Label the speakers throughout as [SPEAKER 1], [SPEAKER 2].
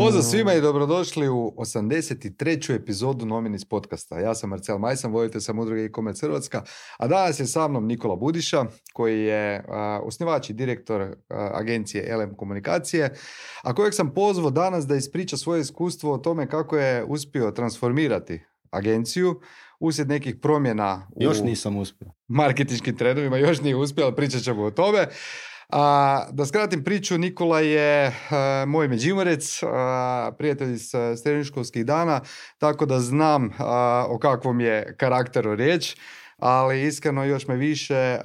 [SPEAKER 1] Pozdrav svima i dobrodošli u 83. epizodu Nominis podcasta. Ja sam Marcel Majsan, voditelj sam udruge e-commerce Hrvatska, a danas je sa mnom Nikola Budiša, koji je osnivač i direktor agencije LM Komunikacije, a kojeg sam pozvao danas da ispriča svoje iskustvo o tome kako je uspio transformirati agenciju uslijed nekih promjena
[SPEAKER 2] još nisam uspio.
[SPEAKER 1] Marketinškim trendovima, još nije uspio, ali pričat ćemo o tome. Da skratim priču, Nikola je moj Međimurec, prijatelj iz srednjoškolskih dana, tako da znam o kakvom je karakteru riječ, ali iskreno još me više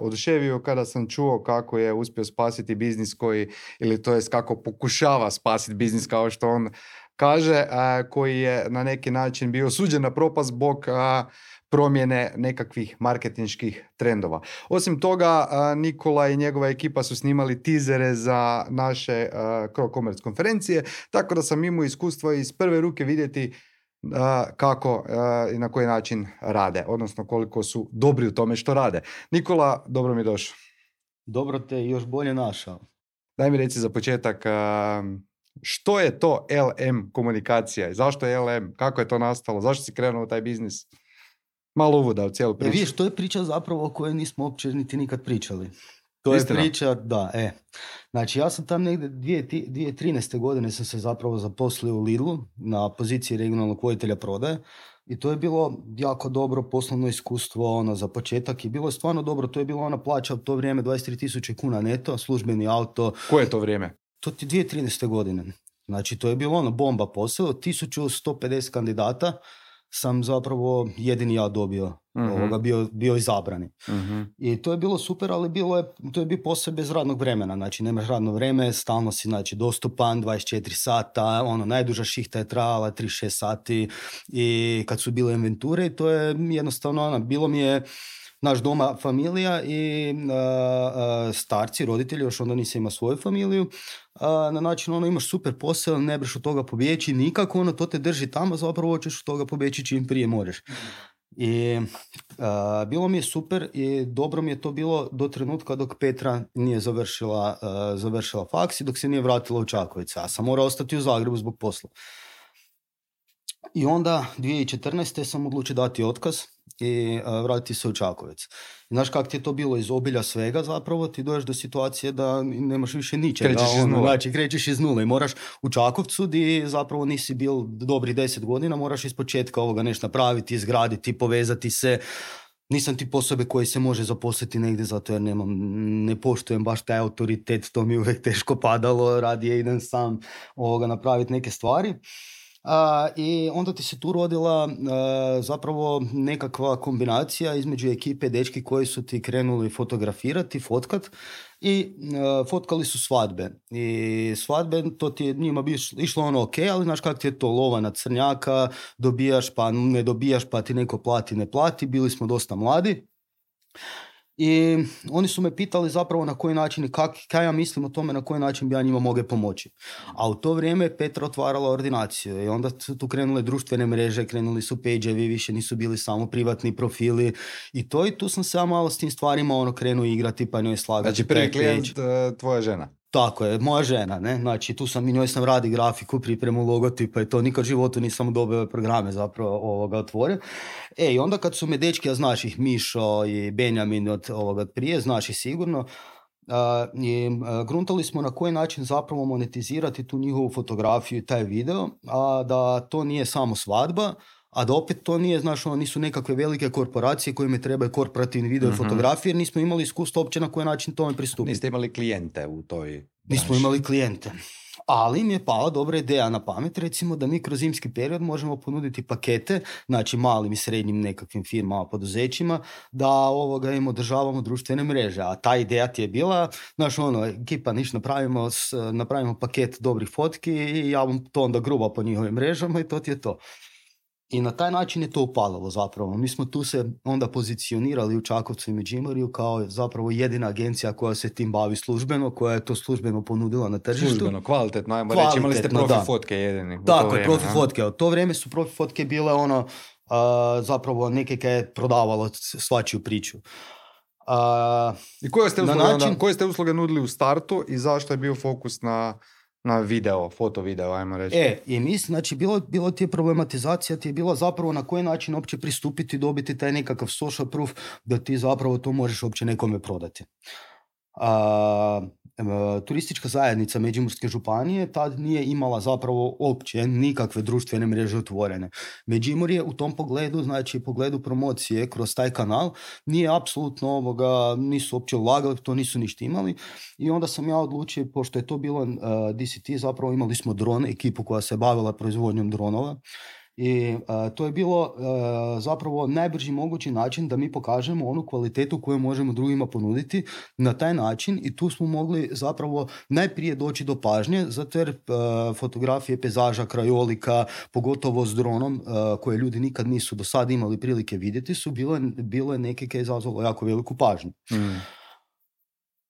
[SPEAKER 1] oduševio kada sam čuo kako je uspio spasiti biznis koji, ili to jest kako pokušava spasiti biznis kao što on kaže, koji je na neki način bio osuđen na propast zbog promjene nekakvih marketinških trendova. Osim toga, Nikola i njegova ekipa su snimali tizere za naše Commerce konferencije, tako da sam imao iskustvo iz prve ruke vidjeti kako i na koji način rade, odnosno koliko su dobri u tome što rade. Nikola, dobro mi došao.
[SPEAKER 2] Dobro te još bolje našao.
[SPEAKER 1] Daj mi reci za početak, što je to LM komunikacija? Zašto je LM? Kako je to nastalo? Zašto si krenuo u taj biznis? Malo uvoda u cijelu priču.
[SPEAKER 2] Vidiš, to je priča zapravo o kojoj nismo uopće niti nikad pričali. To
[SPEAKER 1] Istina.
[SPEAKER 2] je priča, da, Znači, ja sam tam negdje 2013. godine sam se zapravo zaposlio u Lidlu na poziciji regionalnog voditelja prodaje i to je bilo jako dobro poslovno iskustvo za početak i bilo je stvarno dobro. To je bila ona plaća u to vrijeme 23.000 kuna neto, službeni auto.
[SPEAKER 1] Koje je to vrijeme?
[SPEAKER 2] To ti 2013. godine. Znači, to je bilo bomba posao, 1150 kandidata sam zapravo jedini ja dobio, bio izabrani. I to je bilo super, ali to je bio posao bez radnog vremena, znači nemaš radno vreme, stalno si dostupan, 24 sata, najduža šihta je trajala 36 sati i kad su bile inventure, to je jednostavno, bilo mi je naš doma familija i starci, roditelji, još onda nisam imao svoju familiju, na način imaš super posao, ne breš od toga pobjeći nikako, to te drži tamo, zapravo hoćeš od toga pobjeći čim prije možeš. I bilo mi je super i dobro mi je to bilo do trenutka dok Petra nije završila faks i dok se nije vratila u Čakovec. Ja sam morao ostati u Zagrebu zbog posla. I onda 2014. sam odlučio dati otkaz i vratiti se u Čakovec. Znaš kako ti je to bilo iz obilja svega zapravo, ti dođeš do situacije da nemaš više ničega. Krećeš iz nule i moraš u Čakovcu di zapravo nisi bil dobri 10 godina, moraš iz početka ovoga nešto napraviti, izgraditi, povezati se. Nisam tip osobe koji se može zaposliti negdje zato jer ne poštujem baš taj autoritet, to mi uvijek teško padalo, radije idem sam napraviti neke stvari. I onda ti se tu rodila zapravo nekakva kombinacija između ekipe dečki koji su ti krenuli fotografirati, fotkat i fotkali su svadbe. I svadbe, to ti je njima bi išlo ok, ali znaš kako ti je to lova na crnjaka, dobijaš pa ne dobijaš pa ti neko plati, ne plati, bili smo dosta mladi. I oni su me pitali zapravo na koji način i kaj ja mislim o tome na koji način bi ja njima mogao pomoći. A u to vrijeme je Petra otvarala ordinaciju i onda su tu krenule društvene mreže, krenuli su page-evi, više nisu bili samo privatni profili i tu sam se ja malo s tim stvarima krenuo igrati pa njoj slagati.
[SPEAKER 1] Znači prvi klijent tvoja žena?
[SPEAKER 2] Tako je, moja žena, ne? Znači tu sam i njoj sam radi grafiku, pripremu logotipa i to nikad u životu nisam dobio programe zapravo otvorio. I onda kad su me dečki, ja znaš ih, Mišo i Benjamin od prije, znaš ih sigurno, gruntali smo na koji način zapravo monetizirati tu njihovu fotografiju i taj video, a da to nije samo svadba, a da opet to nije, znaš, nisu nekakve velike korporacije kojima trebaju korporativni video i fotografije, jer nismo imali iskustva uopće na koji način tome pristupiti.
[SPEAKER 1] Niste imali klijente u toj...
[SPEAKER 2] Nismo imali klijente. Ali mi je pala dobra ideja na pamet, recimo da mi kroz zimski period možemo ponuditi pakete, znači malim i srednjim nekakvim firmama, poduzećima, da im održavamo društvene mreže. A ta ideja ti je bila, znaš, ekipa, napravimo paket dobrih fotki i ja vam to onda gruba po njihovim mrežama i to ti je to. I na taj način je to upalilo zapravo. Mi smo tu se onda pozicionirali u Čakovcu i Međimurju kao zapravo jedina agencija koja se tim bavi službeno, koja je to službeno ponudila na tržištu.
[SPEAKER 1] Službeno, kvalitetno, ajmo reći, imali ste profi fotke jedini.
[SPEAKER 2] Tako je, profi fotke. U to vrijeme su profi fotke bile zapravo neke kaj je prodavalo svačiju priču.
[SPEAKER 1] I koje ste usluge nudili u startu i zašto je bio fokus na Na video, foto video, ajmo reći.
[SPEAKER 2] I mislim, znači, bilo ti je problematizacija, ti je bila zapravo na koji način uopće pristupiti, dobiti taj nekakav social proof, da ti zapravo to možeš uopće nekome prodati. Turistička zajednica Međimurske županije tad nije imala zapravo uopće nikakve društvene mreže otvorene. Međimurje u tom pogledu, znači pogledu promocije kroz taj kanal, nije apsolutno nisu uopće ulagali, to nisu ništa imali. I onda sam ja odlučio, pošto je to bilo DCT, zapravo imali smo dron, ekipu koja se bavila proizvodnjom dronova. I to je bilo zapravo najbrži mogući način da mi pokažemo onu kvalitetu koju možemo drugima ponuditi na taj način, i tu smo mogli zapravo najprije doći do pažnje, zato jer fotografije pejzaža, krajolika, pogotovo s dronom, koje ljudi nikad nisu do sada imali prilike vidjeti, su bilo neke koje je izazvalo jako veliku pažnju.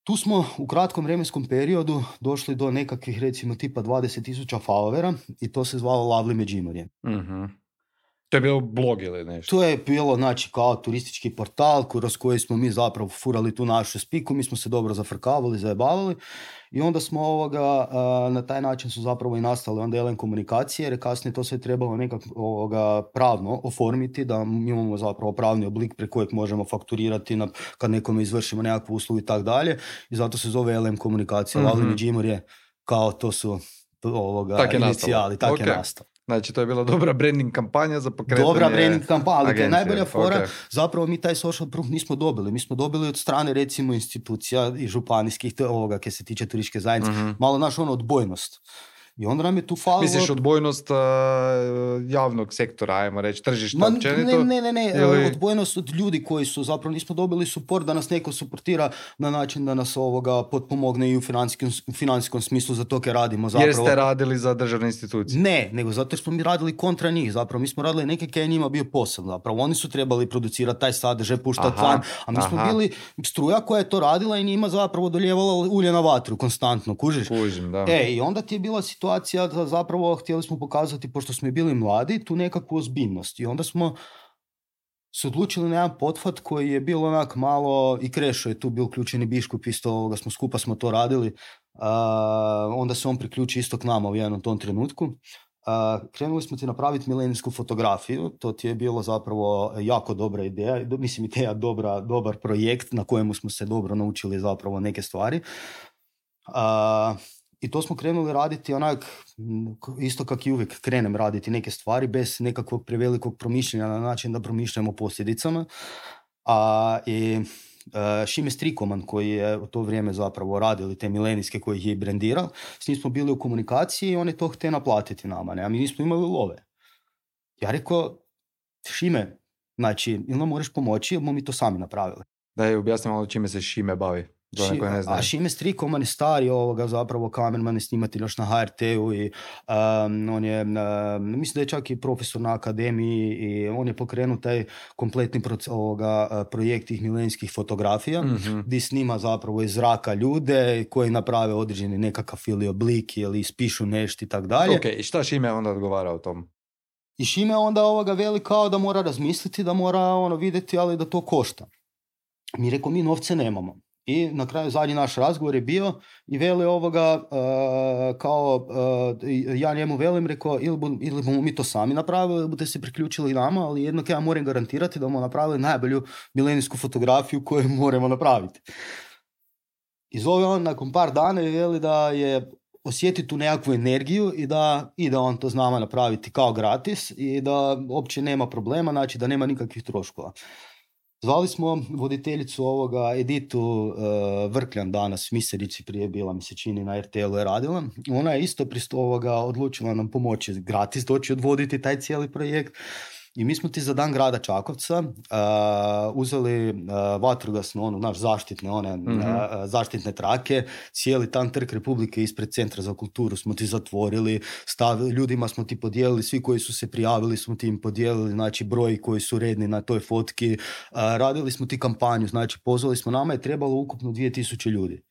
[SPEAKER 2] Tu smo u kratkom vremenskom periodu došli do nekakvih, recimo, tipa 20,000 followera, i to se zvalo Lovely Međimurje.
[SPEAKER 1] To je bilo blog ili nešto? To
[SPEAKER 2] je bilo, znači, kao turistički portal kroz koji smo mi zapravo furali tu našu spiku, mi smo se dobro zafrkavali, zajebavali, i onda smo na taj način su zapravo i nastale onda LM komunikacije, jer kasnije to sve trebalo nekako pravno oformiti, da imamo zapravo pravni oblik preko kojeg možemo fakturirati kad nekome izvršimo nekakvu uslugu i tako dalje, i zato se zove LM komunikacija. Lovely Međimurje, kao to su inicijali, tako je nastalo.
[SPEAKER 1] Znači, to je bila dobra branding kampanja za pokretanje agencije.
[SPEAKER 2] Dobra branding kampanja, ali to je najbolja fora. Zapravo mi taj social proof nismo dobili. Mi smo dobili od strane, recimo, institucija i županijskih, kaj se tiče turističke zajednice, malo naš odbojnost. I onda nam je tu falilo...
[SPEAKER 1] Misliš odbojnost javnog sektora, ajmo reći, tržišta općenito?
[SPEAKER 2] Ne, ili... odbojnost od ljudi koji su zapravo, nismo dobili support da nas neko suportira na način da nas potpomogne i u financijskom smislu za to kaj radimo. Zapravo.
[SPEAKER 1] Jer ste radili za državne institucije?
[SPEAKER 2] Ne, nego zato jer smo mi radili kontra njih. Zapravo mi smo radili neke kaj je njima bio posao. Zapravo oni su trebali producirati taj sadržaj, puštati van, a mi smo bili struja koja je to radila i njima zapravo doljevala ulje na vatru konstantno, kužiš?
[SPEAKER 1] Kužim, da.
[SPEAKER 2] I onda ti je bila situacija da zapravo htjeli smo pokazati, pošto smo bili mladi, tu nekakvu ozbiljnost. I onda smo se odlučili na jedan pothvat koji je bilo onak malo, i Krešo je tu bio uključeni, Biškup isto, skupa smo to radili. Onda se on priključi isto k nama u jednom tom trenutku. Krenuli smo ti napraviti milenijsku fotografiju, to ti je bilo zapravo jako dobra ideja, mislim ideja dobar projekt na kojemu smo se dobro naučili zapravo neke stvari. I to smo krenuli raditi onak, isto kak i uvijek krenem raditi neke stvari bez nekakvog prevelikog promišljanja na način da promišljamo posljedicama. I Šime Strikoman, koji je u to vrijeme zapravo radili te milenijske koje je i brendirao, s njim smo bili u komunikaciji i on je to htio naplatiti nama, ne? A mi nismo imali love. Ja rekao, Šime, znači, ili nam moraš pomoći, ili bomo mi to sami napravili.
[SPEAKER 1] Da je, objasnim malo čime se Šime bavi.
[SPEAKER 2] A Šime Strikoman je stari zapravo kamerman i snimatelj još na HRT-u i on je, mislim da je čak i profesor na akademiji i on je pokrenuo taj kompletni projekt tih milenijskih fotografija, gdje snima zapravo iz zraka ljude koji naprave određeni nekakav ili oblik ili ispišu nešto i tako dalje.
[SPEAKER 1] Ok, i šta Šime onda odgovara o tom?
[SPEAKER 2] I Šime onda veli kao da mora razmisliti, da mora vidjeti, ali da to košta. Mi rekao, mi novce nemamo. I na kraju zadnji naš razgovor je bio i veli ja njemu velim, rekao, ili bomo mi to sami napravili, ili budete se priključili nama, ali jednako ja moram garantirati da bomo napravili najbolju milenijsku fotografiju koju moramo napraviti. I zove on nakon par dana i veli da je osjeti tu nekakvu energiju i da on to zna napraviti kao gratis i da uopće nema problema, znači da nema nikakvih troškova. Zvali smo voditeljicu Editu Vrkljan danas, Miserici prije bila, mi se čini, na RTL-u je radila. Ona je isto odlučila nam pomoći gratis doći odvoditi taj cijeli projekt. I mi smo ti za dan grada Čakovca uzeli vatrogasno, naš zaštitne trake, cijeli tam Trg Republike ispred Centra za kulturu smo ti zatvorili, ljudima smo ti podijelili, svi koji su se prijavili smo ti im podijelili, znači broj koji su redni na toj fotki, radili smo ti kampanju, znači pozvali smo, nama je trebalo ukupno 2000 ljudi.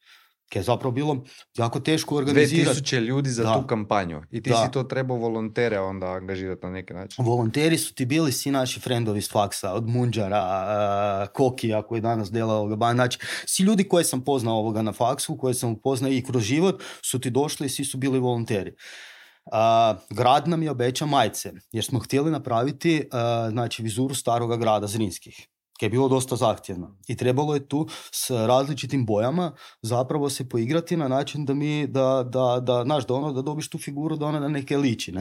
[SPEAKER 2] Kaj je zapravo bilo jako teško organizirati.
[SPEAKER 1] 2000 ljudi za tu kampanju. I ti si to trebao volontere onda angažirati na neki način.
[SPEAKER 2] Volonteri su ti bili svi naši frendovi iz faksa, od Munđara, Kokija koji danas dela ovoga bana. Znači, svi ljudi koje sam poznao ovoga na faksu, koje sam upoznao i kroz život, su ti došli i svi su bili volonteri. Grad nam je obećao majice, jer smo htjeli napraviti znači, vizuru staroga grada Zrinskih, koje je bilo dosta zahtjevno. I trebalo je tu s različitim bojama zapravo se poigrati na način da dobiš tu figuru, da ona na neke liči.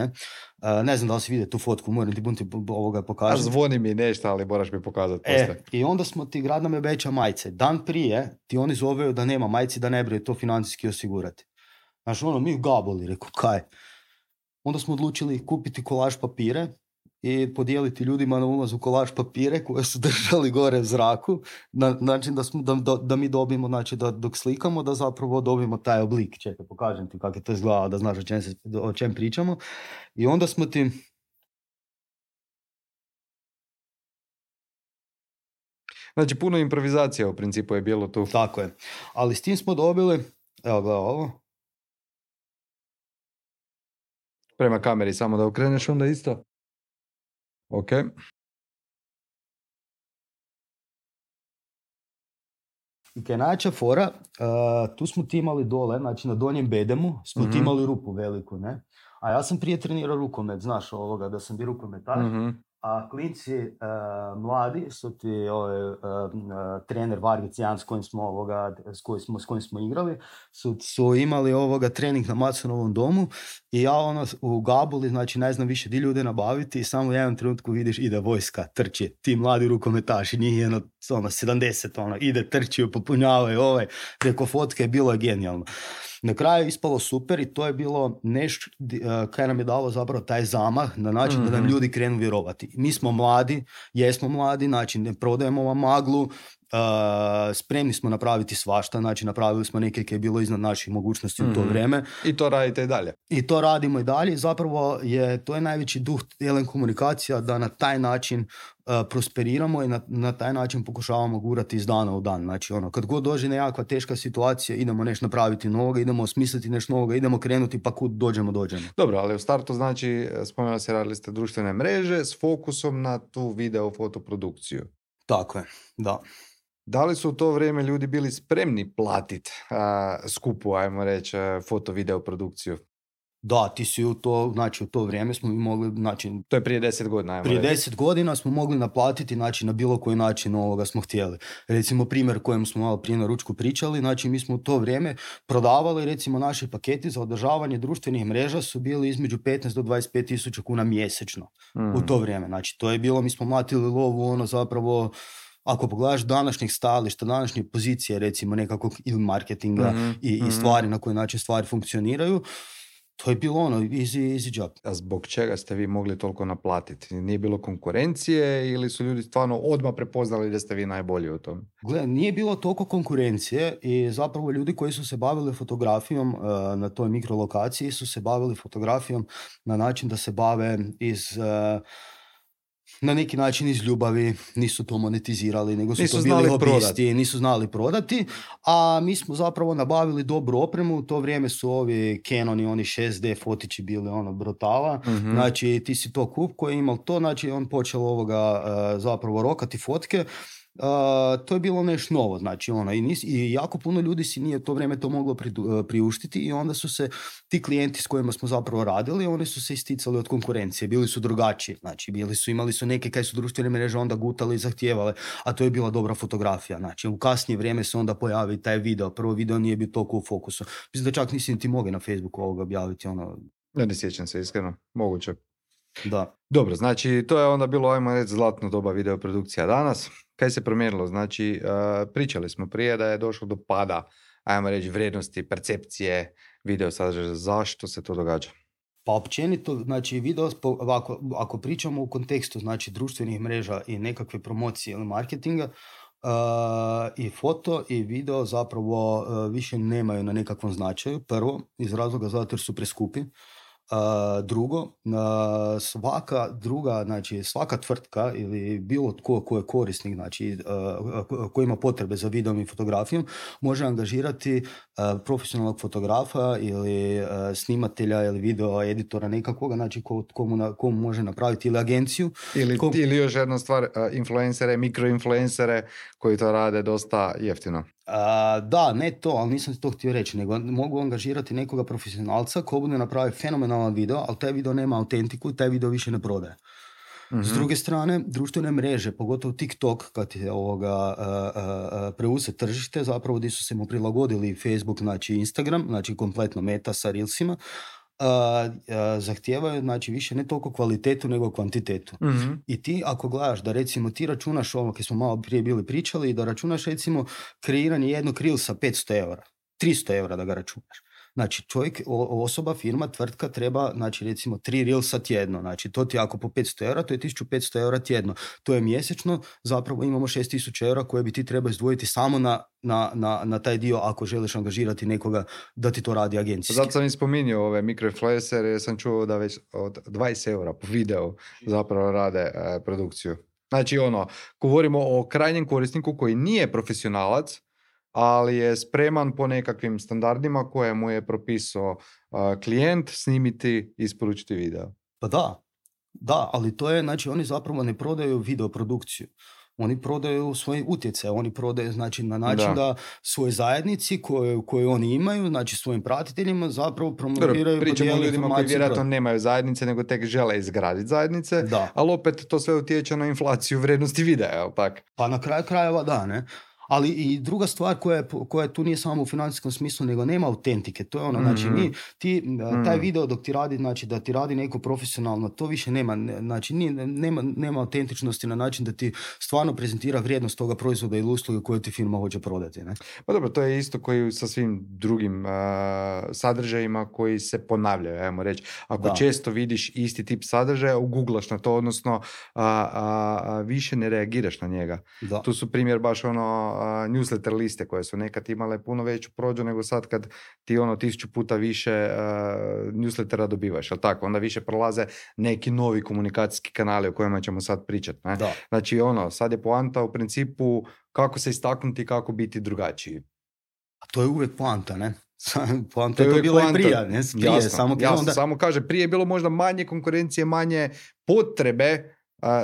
[SPEAKER 2] Ne znam da li si vidio tu fotku, moram ti ovoga pokažem.
[SPEAKER 1] Zvoni mi nešto, ali moraš mi pokazati poslije.
[SPEAKER 2] I onda smo ti, grad nam je obećao majice. Dan prije ti oni zoveju da nema majici, da ne brije to financijski osigurati. Znači mi u gaboli, rekao, kaj? Onda smo odlučili kupiti kolaž papire i podijeliti ljudima na ulazu kolaž papire koje su držali gore u zraku, na način da mi dobimo, znači da dok slikamo, da zapravo dobimo taj oblik. Čekaj, pokažem ti kako je to izgleda, da znaš o čem pričamo. I onda smo ti...
[SPEAKER 1] Znači, puno improvizacija u principu je bilo tu.
[SPEAKER 2] Tako je. Ali s tim smo dobili, evo gledaj ovo.
[SPEAKER 1] Prema kameri, samo da okreneš onda isto. Ok.
[SPEAKER 2] I kaj najjača fora, tu smo ti imali dole, znači na donjem bedemu smo ti imali rupu veliku, ne? A ja sam prije trenirao rukomet, znaš ovoga, da sam bio rukometaš, a klinci mladi su ti trener Vargic Jan s kojim smo igrali, su imali trening na Maconovom domu i ja u Gabuli, znači ne znam više di ljude nabaviti i samo u jednom trenutku vidiš ide vojska, trči, ti mladi rukometaši, njih je 70, ide, trči, popunjavaju preko fotke, je bilo genijalno. Na kraju je ispalo super i to je bilo nešto kaj nam je dalo zapravo taj zamah na način da nam ljudi krenu vjerovati. Mi smo mladi, jesmo mladi, znači ne prodajemo vam maglu, spremni smo napraviti svašta, znači napravili smo neke koje je bilo iznad naših mogućnosti u to vrijeme.
[SPEAKER 1] I to radite i dalje.
[SPEAKER 2] I to radimo i dalje. Zapravo to je najveći duh Elen komunikacija, da na taj način prosperiramo i na taj način pokušavamo gurati iz dana u dan. Znači kad god dođe nekakva teška situacija, idemo nešto napraviti novoga, idemo osmisliti nešto novoga, idemo krenuti pa kud dođemo.
[SPEAKER 1] Dobro, ali u startu znači, spomenuli se, radili ste društvene mreže s fokusom na tu video fotoprodukciju.
[SPEAKER 2] Tako je, da.
[SPEAKER 1] Da li su u to vrijeme ljudi bili spremni platiti skupu, ajmo reći, foto-video produkciju?
[SPEAKER 2] Da, ti si u to vrijeme smo mogli, znači...
[SPEAKER 1] To je prije 10 godina, ajmo
[SPEAKER 2] reći. Prije 10 godina smo mogli naplatiti, znači na bilo koji način smo htjeli. Recimo primjer kojem smo malo prije na ručku pričali, znači mi smo u to vrijeme prodavali, recimo naši paketi za održavanje društvenih mreža su bili između 15 do 25 tisuća kuna mjesečno u to vrijeme. Znači to je bilo, mi smo mlatili lovu, zapravo... Ako pogledaš današnjih stajališta, današnje pozicije, recimo nekakvog ili marketinga i stvari na koji način stvari funkcioniraju, to je bilo easy job.
[SPEAKER 1] A zbog čega ste vi mogli toliko naplatiti? Nije bilo konkurencije ili su ljudi stvarno odmah prepoznali da ste vi najbolji u tom?
[SPEAKER 2] Gle, nije bilo toliko konkurencije i zapravo ljudi koji su se bavili fotografijom na toj mikrolokaciji su se bavili fotografijom na način da se bave na neki način iz ljubavi, nisu to monetizirali, nego su to bili hobisti, nisu znali prodati, a mi smo zapravo nabavili dobru opremu, u to vrijeme su ovi Canoni, oni 6D fotići bili brutala, znači ti si to kup koji je imao to, znači on počeo zapravo rokati fotke. To je bilo nešto novo, znači i jako puno ljudi si nije to vrijeme to moglo priuštiti i onda su se ti klijenti s kojima smo zapravo radili, oni su se isticali od konkurencije, bili su drugačiji, znači imali su neke kaj su društvene mreže onda gutali i zahtijevale, a to je bila dobra fotografija, znači u kasnije vrijeme se onda pojavi taj video, prvo video nije bio toliko u fokusu, mislim da čak nisi ti mogli na Facebooku ovoga objaviti.
[SPEAKER 1] Ne sjećam se iskreno, moguće.
[SPEAKER 2] Da.
[SPEAKER 1] Dobro, znači to je onda bilo, ajmo reći, zlatno doba videoprodukcija. Danas, kaj se promijenilo? Znači, pričali smo prije da je došlo do pada, ajmo reći, vrijednosti, percepcije video sadržaja. Zašto se to događa?
[SPEAKER 2] Pa općenito, znači video, ako pričamo u kontekstu znači društvenih mreža i nekakve promocije ili marketinga, i foto i video zapravo više nemaju na nekakvom značaju. Prvo, iz razloga zato jer su preskupi. Drugo, svaka tvrtka ili bilo tko ko je korisnik, znači ko ima potrebe za videom i fotografijom, može angažirati profesionalnog fotografa ili snimatelja ili video editora nekakvoga, znači ko mu može napraviti, ili agenciju.
[SPEAKER 1] Ili još jedna stvar, influencere, mikroinfluencere koji to rade dosta jeftino.
[SPEAKER 2] Da, ne to, ali nisam to htio reći, nego mogu angažirati nekoga profesionalca ko bude napravi fenomenalan video, ali taj video nema autentiku i taj video više ne prodaje. Mm-hmm. S druge strane, društvene mreže, pogotovo TikTok, kad je preuzet tržište, zapravo gdje su se mu prilagodili Facebook, znači Instagram, znači kompletno Meta sa Reelsima, zahtijevaju, znači, više ne toliko kvalitetu nego kvantitetu. Mm-hmm. I ti ako gledaš da recimo ti računaš ovo kad smo malo prije bili pričali, da računaš recimo kreiranje jednog Reelsa 500 eura, 300 eura da ga računaš. Znači čovjek, osoba, firma, tvrtka treba, znači recimo 3 Reelsa tjedno, znači to ti ako po 500 eura, to je 1500 eura tjedno. To je mjesečno, zapravo imamo 6000 eura koje bi ti treba izdvojiti samo na taj dio ako želiš angažirati nekoga da ti to radi agencijski.
[SPEAKER 1] Zato sam i spominjao ove mikroinfluencere jer sam čuo da već od 20 eura po videu zapravo rade produkciju. Znači govorimo o krajnjem korisniku koji nije profesionalac, ali je spreman po nekakvim standardima koje mu je propisao klijent snimiti i isporučiti video.
[SPEAKER 2] Pa da, ali to je, znači oni zapravo ne prodaju videoprodukciju. Oni prodaju svoje utjecaj, oni prodaju, znači, na način da svoje zajednici koje oni imaju, znači svojim pratiteljima zapravo promoviraju.
[SPEAKER 1] Pričamo o ljudima koji vjerojatno nemaju zajednice, nego tek žele izgraditi zajednice, ali opet to sve utječe na inflaciju vrijednosti videa, jel tak?
[SPEAKER 2] Pa na kraju krajeva da, ne? Ali i druga stvar koja tu nije samo u financijskom smislu, nego nema autentike. To je znači taj video dok ti radi, znači da ti radi neko profesionalno, to više nema, znači nema autentičnosti na način da ti stvarno prezentira vrijednost toga proizvoda ili usluge koju ti firma hoće prodati. Ne?
[SPEAKER 1] Pa dobro, to je isto koji sa svim drugim sadržajima koji se ponavljaju, ajmo reći. Ako često vidiš isti tip sadržaja, uguglaš na to, odnosno više ne reagiraš na njega. Da. Tu su primjer baš newsletter liste koje su nekad imale puno veću prođu nego sad kad ti 1000 puta više newslettera dobivaš, ali tako, onda više prolaze neki novi komunikacijski kanali o kojima ćemo sad pričati. Ne? Znači sad je poanta u principu kako se istaknuti i kako biti drugačiji.
[SPEAKER 2] A to je uvijek poanta, ne? Poanta je to bilo i prije, ne?
[SPEAKER 1] Samo kaže, prije je bilo možda manje konkurencije, manje potrebe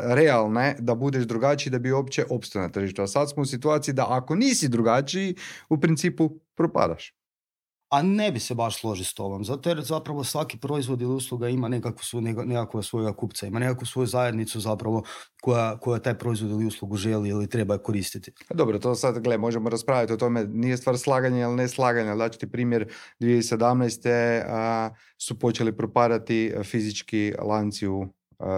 [SPEAKER 1] realne da budeš drugačiji da bi uopće opstao na tržištu. A sad smo u situaciji da ako nisi drugačiji, u principu propadaš.
[SPEAKER 2] A ne bi se baš složio s tobom, zato jer zapravo svaki proizvod ili usluga ima nekakvog svojega kupca, ima nekakvu svoju zajednicu zapravo koja taj proizvod ili uslugu želi ili treba koristiti.
[SPEAKER 1] Dobro, to sad, možemo raspraviti o tome, nije stvar slaganja ili ne slaganja. Daću ti primjer, 2017. Su počeli propadati fizički lanci u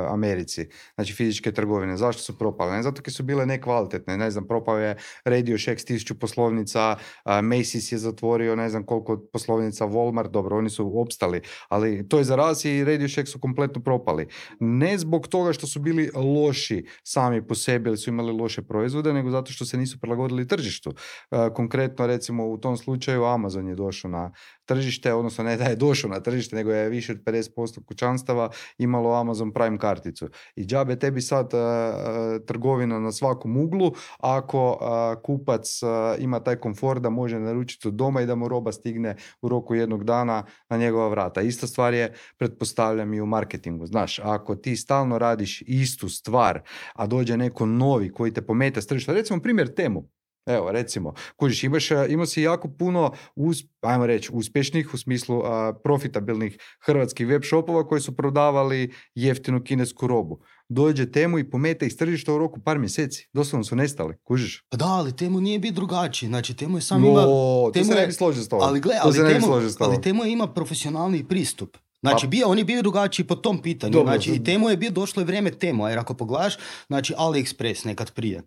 [SPEAKER 1] Americi, znači fizičke trgovine. Zašto su propale? Ne zato jer su bile nekvalitetne, ne znam, propao je Radio Shack 1000 poslovnica, Macy's je zatvorio ne znam koliko poslovnica, Walmart, dobro, oni su opstali, ali to je za raz i Radio Shack su kompletno propali. Ne zbog toga što su bili loši sami po sebi ili su imali loše proizvode, nego zato što se nisu prilagodili tržištu. Konkretno, recimo, u tom slučaju Amazon je došao na tržište, odnosno ne da je došao na tržište, nego je više od 50% kućanstava imalo Amazon Prime karticu. I džabe tebi sad trgovina na svakom uglu, ako kupac ima taj komfort da može naručiti od doma i da mu roba stigne u roku jednog dana na njegova vrata. Ista stvar je, pretpostavljam, i u marketingu. Znaš, ako ti stalno radiš istu stvar, a dođe neko novi koji te pomete s tržišta, recimo primjer Temu. Evo, recimo, kužiš, imao si jako puno, ajmo reći, uspješnih u smislu profitabilnih hrvatskih web shopova koji su prodavali jeftinu kinesku robu. Dođe Temu i pomete iz tržišta u roku par mjeseci. Doslovno su nestali, kužiš?
[SPEAKER 2] Da, ali Temu nije biti drugačiji. Znači, Temu je sam
[SPEAKER 1] to se ne bi složio s tobom.
[SPEAKER 2] Ali Temu ima profesionalni pristup. Znači, on je bio drugačiji po tom pitanju. Dobro, znači, i Temu je došlo je vrijeme Temu, jer ako pogledaš, znači, AliExpress nekad prije.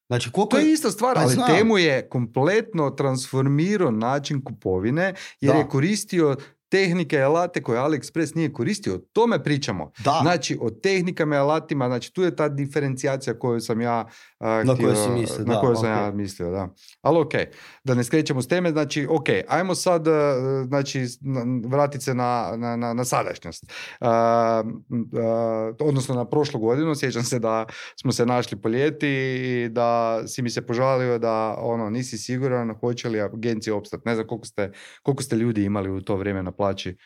[SPEAKER 2] Znači,
[SPEAKER 1] to je ista stvar, ali Temu je kompletno transformirao način kupovine jer je koristio tehnike i alate koje AliExpress nije koristio, o tome pričamo.
[SPEAKER 2] Da.
[SPEAKER 1] Znači, o tehnikama i alatima, znači tu je ta diferencijacija koju sam ja
[SPEAKER 2] Na koju si mislio,
[SPEAKER 1] na
[SPEAKER 2] da,
[SPEAKER 1] koju sam
[SPEAKER 2] ok.
[SPEAKER 1] ja mislio, da. Ali ok, da ne skrećemo s teme, znači ok, ajmo sad znači, vratiti se na sadašnjost. Odnosno na prošlu godinu, sjećam se da smo se našli po ljeti i da si mi se požalio da nisi siguran hoće li agencije opstati. Ne znam koliko ste ljudi imali u to vrijeme na plaći.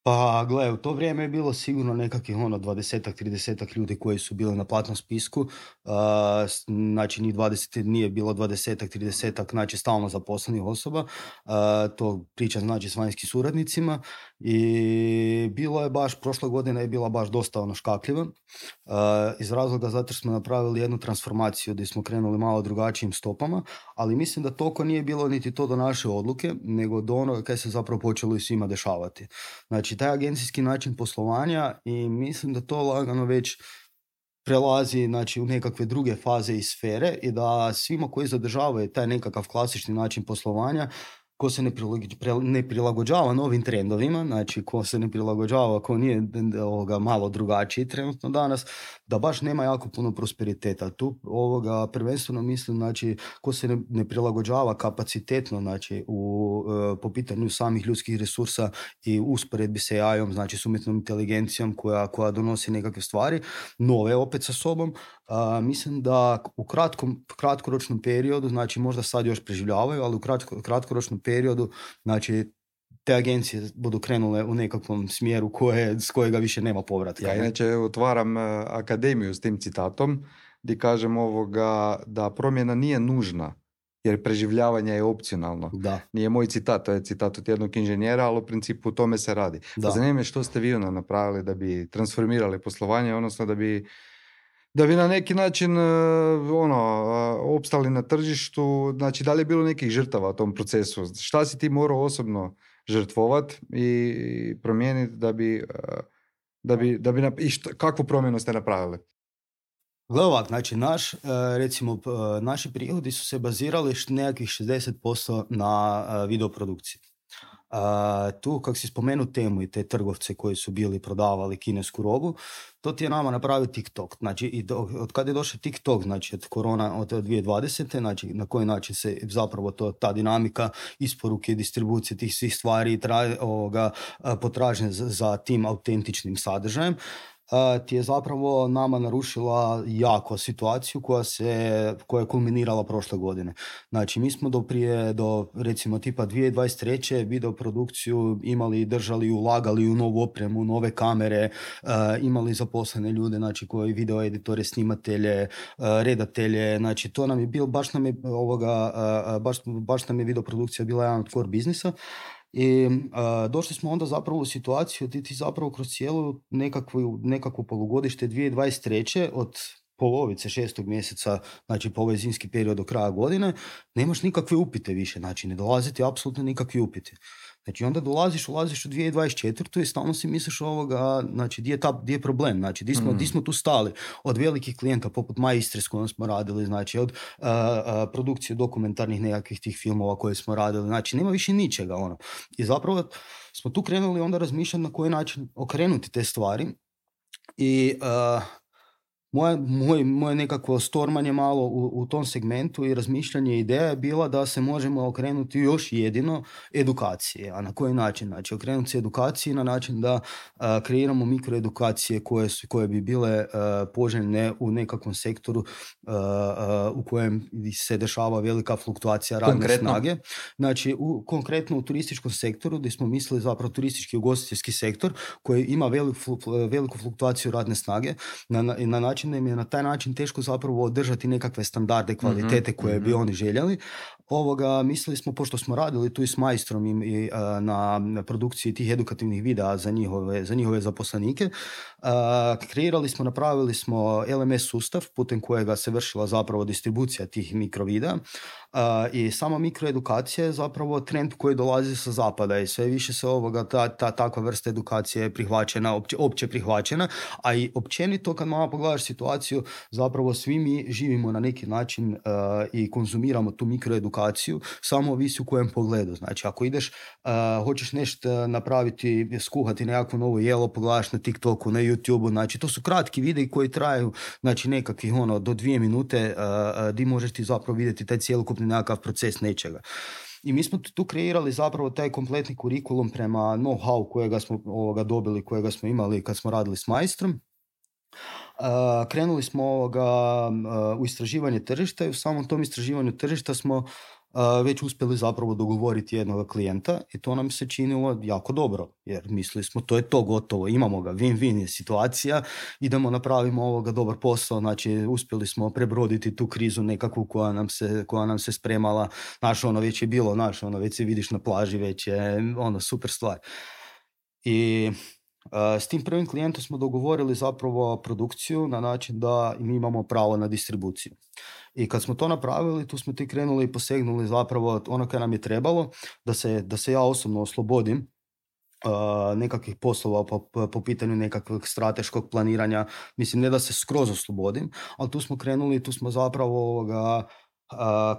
[SPEAKER 2] Pa gle, u to vrijeme je bilo sigurno nekakvih 20-30 ljudi koji su bili na platnom spisku, znači njih 20 nije bilo 20-30, znači stalno zaposlenih osoba, to priča znači s vanjskim suradnicima i bilo je baš, prošla godina je bila baš dosta škakljiva, iz razloga zato što smo napravili jednu transformaciju gdje smo krenuli malo drugačijim stopama, ali mislim da toliko nije bilo niti to do naše odluke, nego do onoga kaj se zapravo počelo i svima dešavati. Znači, taj agencijski način poslovanja i mislim da to lagano već prelazi znači, u nekakve druge faze i sfere i da svima koji zadržavaju taj nekakav klasični način poslovanja, ko se ne prilagođava novim trendovima, znači ko se ne prilagođava, ko nije malo drugačiji trenutno danas, da baš nema jako puno prosperiteta. Tu prvenstveno mislim, znači, ko se ne prilagođava kapacitetno, znači, po pitanju samih ljudskih resursa i usporedbi sa AI-om, znači s umjetnom inteligencijom koja donosi nekakve stvari, nove opet sa sobom, mislim da u kratkoročnom periodu, znači možda sad još preživljavaju, ali u kratkoročnom periodu, znači te agencije budu krenule u nekakvom smjeru s kojega više nema povratka.
[SPEAKER 1] Ja inače otvaram akademiju s tim citatom gdje kažem da promjena nije nužna jer preživljavanje je opcionalno.
[SPEAKER 2] Da.
[SPEAKER 1] Nije moj citat, to je citat od jednog inženjera, ali u principu o tome se radi. Zanima me što ste vi napravili da bi transformirali poslovanje, odnosno da bi na neki način opstali na tržištu. Znači, da li je bilo nekih žrtava u tom procesu? Šta si ti morao osobno žrtvovati i promijeniti kakvu promjenu ste napravili?
[SPEAKER 2] Gle ovak, znači naši prihodi su se bazirali nekakvih 60% na videoprodukciji. Tu, kako si spomenuo temu i te trgovce koji su bili prodavali kinesku robu, to ti je nama napravio TikTok. Znači, od kada je došao TikTok, znači od korona, od 2020. Znači, na koji način se zapravo ta dinamika isporuke i distribucije tih svih stvari potražnje za tim autentičnim sadržajem, ti je zapravo nama narušila jako situaciju koja je kulminirala prošle godine. Znači, mi smo do recimo tipa 2023. videoprodukciju imali, držali, ulagali u novu opremu, nove kamere, imali zaposlene ljude, znači koji video editore, snimatelje, redatelje, znači to nam je bilo, baš nam je videoprodukcija bila jedan od core biznisa. I došli smo onda zapravo u situaciju da ti zapravo kroz cijelu nekakvu polugodište 2023. od polovice 6. mjeseca, znači po ovaj zimski period do kraja godine, nemaš nikakve upite više, znači ne dolaze ti apsolutno nikakvi upiti. Znači onda ulaziš u 2024. i stalno si misliš znači gdje je problem, znači gdje smo tu stali od velikih klijenta poput Maistre s kojom smo radili, znači od produkcije dokumentarnih nekakvih tih filmova koje smo radili, znači nema više ničega I zapravo smo tu krenuli onda razmišljati na koji način okrenuti te stvari i moje nekakvo stormanje malo u tom segmentu i razmišljanje ideja je bila da se možemo okrenuti još jedino edukacije. A na koji način? Znači, okrenuti se edukaciji na način da kreiramo mikroedukacije koje bi bile poželjne u nekakvom sektoru u kojem se dešava velika fluktuacija radne snage. Znači, konkretno u turističkom sektoru, gdje smo mislili zapravo turistički ugostiteljski sektor koji ima veliku fluktuaciju radne snage na način da im je na taj način teško zapravo održati nekakve standarde kvalitete koje bi oni željeli. Mislili smo, pošto smo radili tu i s Maistrom i na produkciji tih edukativnih videa za njihove zaposlenike, napravili smo LMS sustav putem kojega se vršila zapravo distribucija tih mikrovidea i sama mikroedukacija je zapravo trend koji dolazi sa zapada i sve više se takva vrsta edukacije je prihvaćena, opće prihvaćena, a i općenito kad malo pogledaš situaciju, zapravo svi mi živimo na neki način i konzumiramo tu mikroedukaciju edukaciju, samo ovisi u kojem pogledu. Znači, ako ideš, hoćeš nešto napraviti, skuhati nekakvo novo jelo, pogledaš na TikToku, na YouTubeu, znači, to su kratki videi koji traju, znači, nekakvih, do 2 minute, di možeš ti zapravo vidjeti taj cjelokupni nekakav proces nečega. I mi smo tu kreirali zapravo taj kompletni kurikulum prema know-how kojega smo dobili, kojega smo imali kad smo radili s majstrom. Krenuli smo u istraživanje tržišta i u samom tom istraživanju tržišta smo već uspjeli zapravo dogovoriti jednog klijenta i to nam se činilo jako dobro, jer mislili smo to je to gotovo, imamo ga, win-win je situacija, idemo napravimo dobar posao, znači uspjeli smo prebroditi tu krizu nekakvu koja nam se spremala, već je bilo, već se vidiš na plaži, već je super stvar. I s tim prvim klijentom smo dogovorili zapravo produkciju na način da mi imamo pravo na distribuciju. I kad smo to napravili, tu smo ti krenuli i posegnuli zapravo ono koje nam je trebalo, da se ja osobno oslobodim nekakvih poslova po pitanju nekakvog strateškog planiranja. Mislim, ne da se skroz oslobodim, ali tu smo krenuli, tu smo zapravo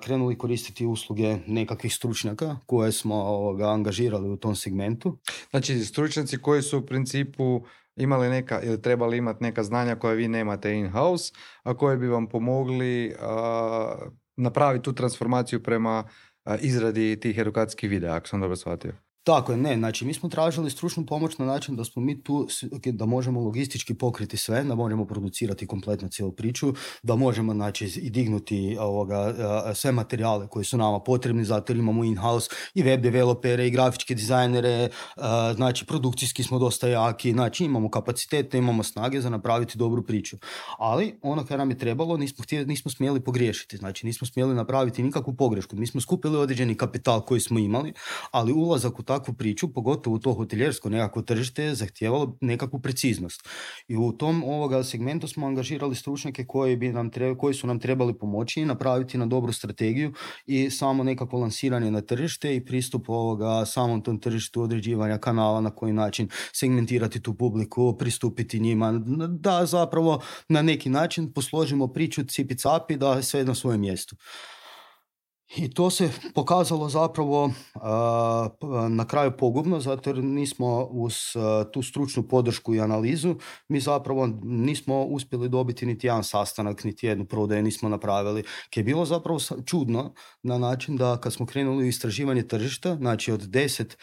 [SPEAKER 2] krenuli koristiti usluge nekakvih stručnjaka koje smo angažirali u tom segmentu.
[SPEAKER 1] Znači, stručnjaci koji su u principu imali neka ili trebali imati neka znanja koje vi nemate in-house, a koje bi vam pomogli napraviti tu transformaciju prema izradi tih edukacijskih videa, ako sam dobro shvatio.
[SPEAKER 2] Tako je, znači mi smo tražili stručnu pomoć na način da smo mi tu, da možemo logistički pokriti sve, da možemo producirati kompletnu cijelu priču, da možemo znači i dignuti sve materijale koji su nama potrebni, zato jer imamo in-house i web developere i grafičke dizajnere, znači produkcijski smo dosta jaki, znači imamo kapacitete, imamo snage za napraviti dobru priču. Ali ono kad nam je trebalo, nismo smjeli pogriješiti, znači nismo smjeli napraviti nikakvu pogrešku. Mi smo skupili određeni kapital koji smo imali, ali ulazak u takvu priču, pogotovo u to hotelijersko nekako tržište, je zahtijevalo nekakvu preciznost. I u tom segmentu smo angažirali stručnjake koji su nam trebali pomoći i napraviti na dobru strategiju i samo nekako lansiranje na tržište i pristup samom tom tržištu, određivanja kanala, na koji način segmentirati tu publiku, pristupiti njima, da zapravo na neki način posložimo priču cipi-capi, da je sve na svojem mjestu. I to se pokazalo zapravo na kraju pogubno, zato jer nismo uz tu stručnu podršku i analizu, mi zapravo nismo uspjeli dobiti niti jedan sastanak, niti jednu prodaju nismo napravili. Koje je bilo zapravo čudno na način da kad smo krenuli u istraživanje tržišta, znači od 10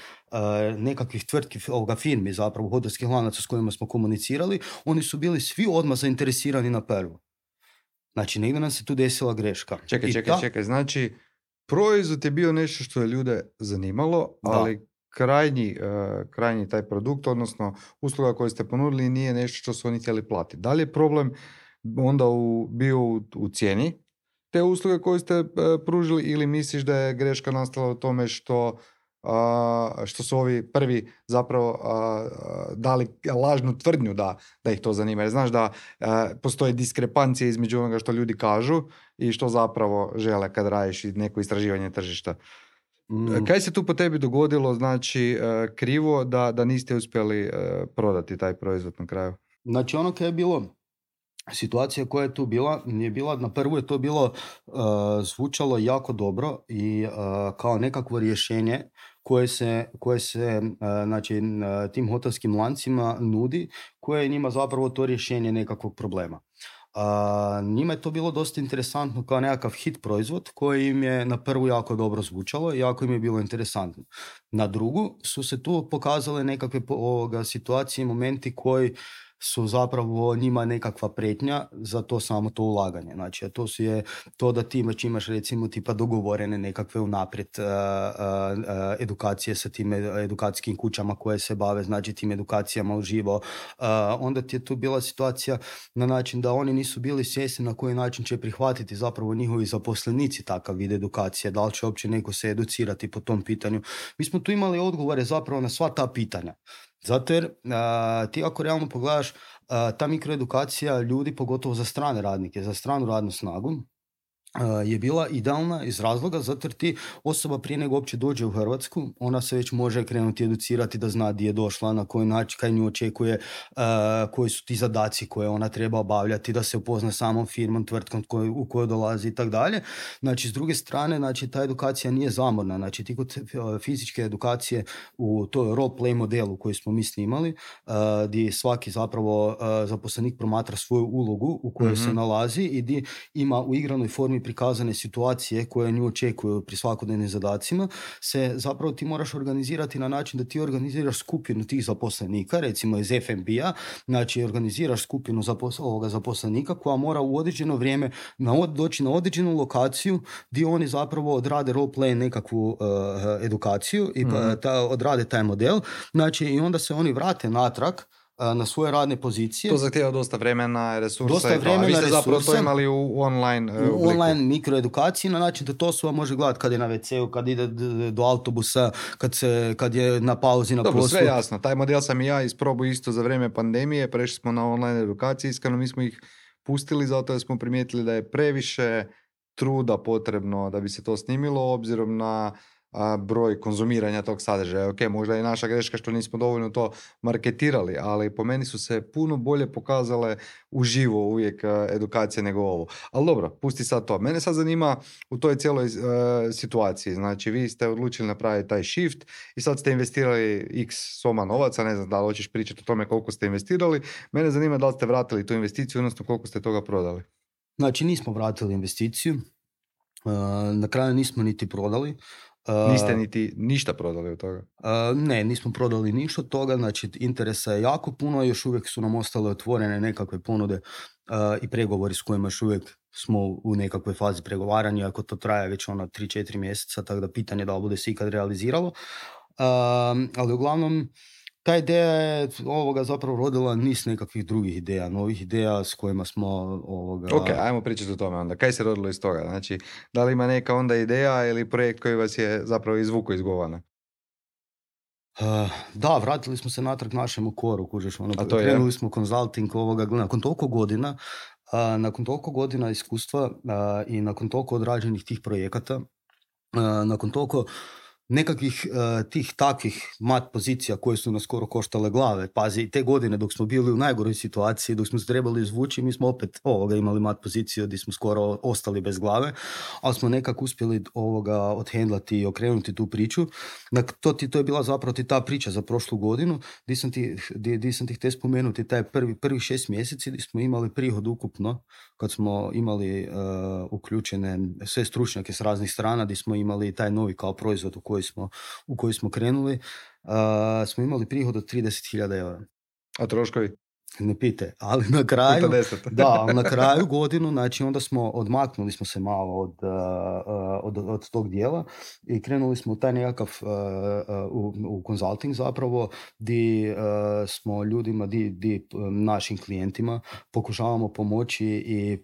[SPEAKER 2] nekakvih tvrtki, firmi zapravo, hotelskih lanaca s kojima smo komunicirali, oni su bili svi odmah zainteresirani na prvu. Znači, negdje nam se tu desila greška.
[SPEAKER 1] Čekaj, znači proizvod je bio nešto što je ljude zanimalo, ali krajnji taj produkt, odnosno usluga koju ste ponudili, nije nešto što su oni htjeli platiti. Da li je problem onda bio u cijeni te usluge koju ste pružili, ili misliš da je greška nastala u tome što su ovi prvi zapravo dali lažnu tvrdnju da ih to zanima? Jer znaš da postoje diskrepancije između onoga što ljudi kažu i što zapravo žele kad radiš neko istraživanje tržišta. Kaj se tu po tebi dogodilo, znači krivo, da niste uspjeli prodati taj proizvod na kraju?
[SPEAKER 2] Znači ono koje je bilo, situacija koja je tu bila, nije bila, na prvu je to bilo zvučalo jako dobro i kao nekakvo rješenje koje se znači, tim hotelskim lancima nudi, koje je njima zapravo to rješenje nekakvog problema. Njima je to bilo dosta interesantno kao nekakav hit proizvod koji im je na prvu jako dobro zvučalo i jako im je bilo interesantno. Na drugu su se tu pokazale nekakve situacije i momenti koji su zapravo njima nekakva pretnja za to samo to ulaganje. Znači, to da ti već imaš recimo tipa dogovorene nekakve unaprijed edukacije sa tim edukacijskim kućama koje se bave, znači tim edukacijama uživo. Onda ti je tu bila situacija na način da oni nisu bili svjesni na koji način će prihvatiti zapravo njihovi zaposlenici takav vid edukacije, da li će uopće neko se educirati po tom pitanju. Mi smo tu imali odgovore zapravo na sva ta pitanja. Zato jer ti ako realno pogledaš, ta mikroedukacija ljudi, pogotovo za strane radnike, za stranu radnu snagu, je bila idealna iz razloga zato jer ti osoba prije nego uopće dođe u Hrvatsku, ona se već može krenuti educirati da zna gdje je došla, na koji način, kaj nju očekuje, koji su ti zadaci koje ona treba obavljati, da se upozna samom firmom, tvrtkom u koju dolazi i tako dalje. Znači, s druge strane, znači, ta edukacija nije zamorna. Znači, ti kod fizičke edukacije u toj role play modelu koji smo mi snimali, gdje svaki zapravo zaposlenik promatra svoju ulogu u kojoj se nalazi i gdje ima u igranoj formi prikazane situacije koje nju očekuju pri svakodnevnim zadacima, se zapravo ti moraš organizirati na način da ti organiziraš skupinu tih zaposlenika, recimo iz FNB-a, znači organiziraš skupinu zaposlenika koja mora u određeno vrijeme doći na određenu lokaciju gdje oni zapravo odrade role play nekakvu edukaciju i odrade taj model, znači i onda se oni vrate natrag na svoje radne pozicije.
[SPEAKER 1] To zahtijeva dosta vremena, resursa.
[SPEAKER 2] Dosta vremena,
[SPEAKER 1] vi ste
[SPEAKER 2] resursa,
[SPEAKER 1] zapravo to imali u online
[SPEAKER 2] u online mikroedukaciji na način da to osoba može gledati kad je na WC-u, kad ide do autobusa, kad je na pauzi na poslu.
[SPEAKER 1] Dobro, sve jasno. Taj model sam i ja isprobao isto za vrijeme pandemije. Prešli smo na online edukaciju. Iskreno mi smo ih pustili zato jer smo primijetili da je previše truda potrebno da bi se to snimilo obzirom na broj konzumiranja tog sadržaja. Ok, možda je naša greška što nismo dovoljno to marketirali, ali po meni su se puno bolje pokazale uživo uvijek edukacije nego ovo. Ali dobro, pusti sad to. Mene sad zanima u toj cijeloj situaciji. Znači, vi ste odlučili napraviti taj shift i sad ste investirali x soma novaca, ne znam da li hoćeš pričati o tome koliko ste investirali. Mene zanima da li ste vratili tu investiciju, odnosno koliko ste toga prodali.
[SPEAKER 2] Znači, nismo vratili investiciju. Na kraju nismo niti prodali.
[SPEAKER 1] Niste niti ništa prodali od toga?
[SPEAKER 2] Ne, nismo prodali ništa od toga, znači interesa je jako puno, još uvijek su nam ostale otvorene nekakve ponude i pregovori s kojima još uvijek smo u nekakvoj fazi pregovaranja, ako to traje već 3-4 mjeseca, tako da pitanje da li bude se ikad realiziralo. Ali uglavnom, ta ideja je zapravo rodila niz nekakvih drugih ideja, novih ideja s kojima smo...
[SPEAKER 1] Ok, ajmo pričati o tome onda. Kaj se rodilo iz toga? Znači, da li ima neka onda ideja ili projekt koji vas je zapravo izvukao iz govana?
[SPEAKER 2] Da, vratili smo se natrag našemu koru, kužiš, krenuli smo consulting nakon toliko godina iskustva i nakon toliko odrađenih tih projekata, nakon toliko nekakvih tih takvih mat pozicija koje su nas skoro koštale glave. Pazi, te godine dok smo bili u najgoroj situaciji, dok smo se trebali izvući, mi smo opet imali mat poziciju gdje smo skoro ostali bez glave, ali smo nekako uspjeli odhendlati i okrenuti tu priču. To je bila zapravo ta priča za prošlu godinu, gdje sam ti htio spomenuti taj prvih 6 mjeseci gdje smo imali prihod ukupno, kad smo imali uključene sve stručnjake s raznih strana, gdje smo imali taj novi kao proizvod u koji smo krenuli, smo imali prihod od 30.000 eura.
[SPEAKER 1] A troškovi?
[SPEAKER 2] Ne pite, ali na kraju, na kraju godinu, znači onda odmaknuli smo se malo od tog dijela i krenuli smo u taj nekakav u consulting zapravo, gdje smo ljudima, gdje našim klijentima pokušavamo pomoći i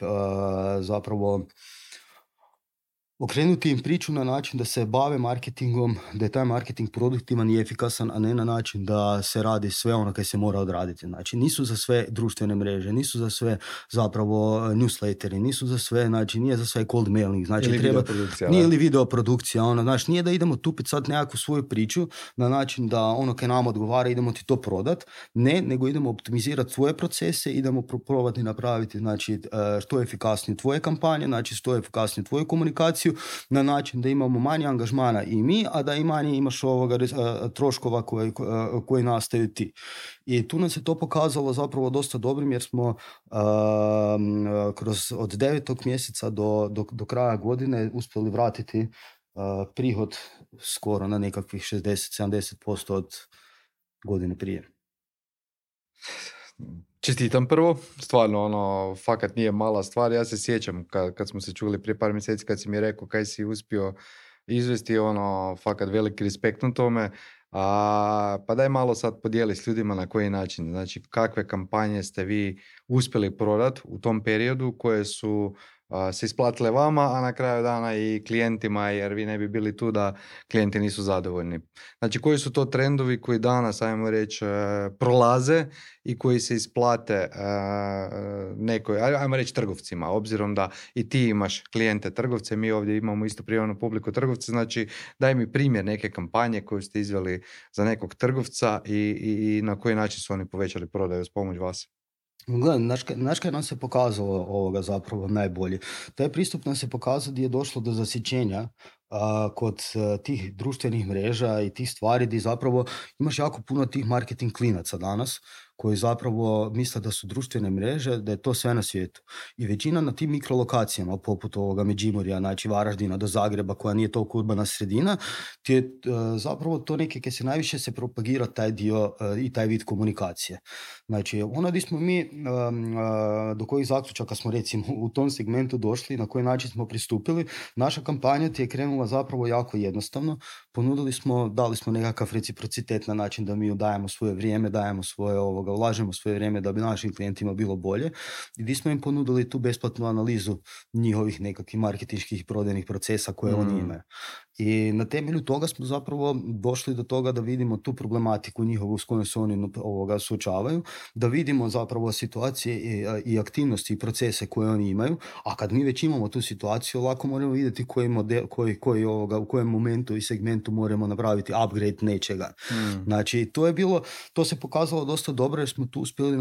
[SPEAKER 2] zapravo okrenuti im priču na način da se bave marketingom, da je taj marketing produktivan i efikasan, a ne na način da se radi sve ono kaj se mora odraditi. Znači, nisu za sve društvene mreže, nisu za sve zapravo newsletteri, nisu za sve, znači nije za sve cold mailing, znači nije li video produkcija, znači nije da idemo tupiti sad nekakvu svoju priču na način da ono kaj nam odgovara idemo ti to prodat, ne, nego idemo optimizirati svoje procese, idemo probati napraviti, znači, što efikasnije tvoje kampanje, znači što efikasnije tvoju komunikaciju, na način da imamo manje angažmana i mi, a da i manje imaš troškova koji nastaju ti. I tu nam se to pokazalo zapravo dosta dobrim, jer smo od 9. mjeseca do kraja godine uspjeli vratiti prihod skoro na nekakvih 60-70% od godine prije.
[SPEAKER 1] Čestitam prvo, stvarno fakat nije mala stvar. Ja se sjećam kad smo se čuli prije par mjeseci kad si mi rekao kaj si uspio izvesti, fakat veliki respekt na tome. Pa daj malo sad podijeli s ljudima na koji način, znači kakve kampanje ste vi uspjeli prodati u tom periodu koje su se isplatile vama, a na kraju dana i klijentima, jer vi ne bi bili tu da klijenti nisu zadovoljni. Znači, koji su to trendovi koji danas, ajmo reći, prolaze i koji se isplate nekoj, ajmo reći, trgovcima, obzirom da i ti imaš klijente trgovce, mi ovdje imamo isto prijavnu publiku trgovce, znači daj mi primjer neke kampanje koju ste izveli za nekog trgovca i na koji način su oni povećali prodaju s pomoć vas.
[SPEAKER 2] Gledaj, znaš kaj nam se pokazalo ovoga zapravo najbolje? Taj pristup nam se pokazao gdje je došlo do zasićenja kod tih društvenih mreža i tih stvari gdje zapravo imaš jako puno tih marketing klinaca danas koji zapravo misle da su društvene mreže, da je to sve na svijetu. I većina na tim mikrolokacijama, poput ovoga Međimurja, znači Varaždina do Zagreba, koja nije toliko urbana sredina, ti je zapravo to neke kad se najviše se propagira taj dio i taj vid komunikacije. Znači, ono gdje smo mi, do kojih zaključaka smo recimo u tom segmentu došli, na koji način smo pristupili, naša kampanja ti je krenula zapravo jako jednostavno. Dali smo nekakav reciprocitet na način da mi dajemo svoje vrijeme, dajemo svoje ulažemo svoje vrijeme da bi našim klijentima bilo bolje i gdje smo im ponudili tu besplatnu analizu njihovih nekakvih marketinških prodajnih procesa koje oni imaju. I na temelju toga smo zapravo došli do toga da vidimo tu problematiku njihovu s kojom se oni suočavaju, da vidimo zapravo situacije i aktivnosti i procese koje oni imaju, a kad mi već imamo tu situaciju, lako moramo vidjeti u kojem momentu i segmentu moramo napraviti upgrade nečega. Znači, to se pokazalo dosta dobro jer smo tu uspjeli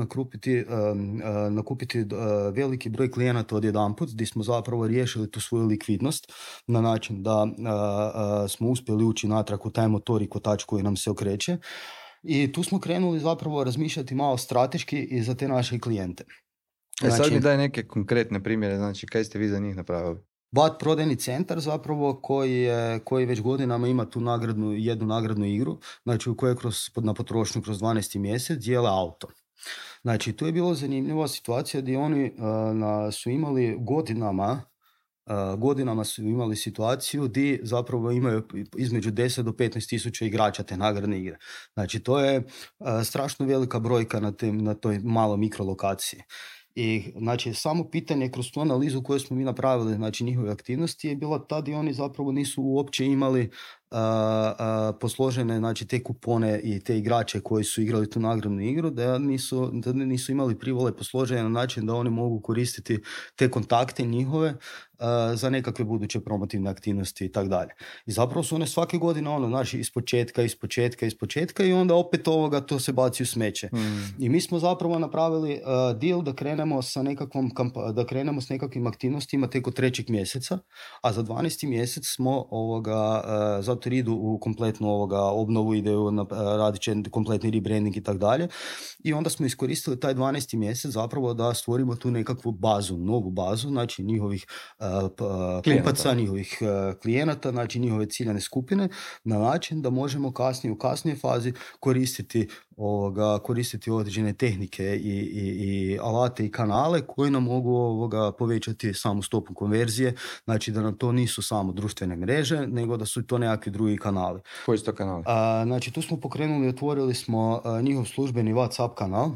[SPEAKER 2] nakupiti veliki broj klijenata odjedanput, gdje smo zapravo riješili tu svoju likvidnost na način da smo uspjeli ući natrag u taj motor i kotač koji nam se okreće i tu smo krenuli zapravo razmišljati malo strateški i za te naše klijente.
[SPEAKER 1] Znači, sad mi daj neke konkretne primjere, znači kaj ste vi za njih napravili?
[SPEAKER 2] VAT prodajni centar zapravo koji već godinama ima tu jednu nagradnu igru, znači u kojoj na potrošnju kroz 12. mjesec dijele auto. Znači, tu je bilo zanimljiva situacija gdje oni su imali godinama su imali situaciju gdje zapravo imaju između 10 do 15 tisuća igrača te nagradne igre. Znači, to je strašno velika brojka na toj maloj mikrolokaciji. I znači, samo pitanje kroz tu analizu koju smo mi napravili, znači njihove aktivnosti je bila ta gdje oni zapravo nisu uopće imali posložene, znači te kupone i te igrače koji su igrali tu nagradnu igru, da nisu imali privole posložene na način da oni mogu koristiti te kontakte njihove za nekakve buduće promotivne aktivnosti i tako dalje. I zapravo su one svake godine znači ispočetka i onda opet to se baci u smeće. I mi smo zapravo napravili deal da krenemo s nekakvim aktivnostima tek od 3. mjeseca, a za 12. mjesec smo zato idu u kompletnu obnovu, radit će kompletni rebranding i tako dalje. I onda smo iskoristili taj 12. mjesec zapravo da stvorimo tu nekakvu novu bazu, znači njihovih kupaca, njihovih klijenata, znači njihove ciljane skupine, na način da možemo kasnije, u kasnijoj fazi koristiti određene tehnike i alate i kanale koji nam mogu povećati samu stopu konverzije, znači da nam to nisu samo društvene mreže, nego da su to nekakvi drugi kanali.
[SPEAKER 1] Koji su to kanali?
[SPEAKER 2] Znači, tu smo otvorili smo njihov službeni WhatsApp kanal,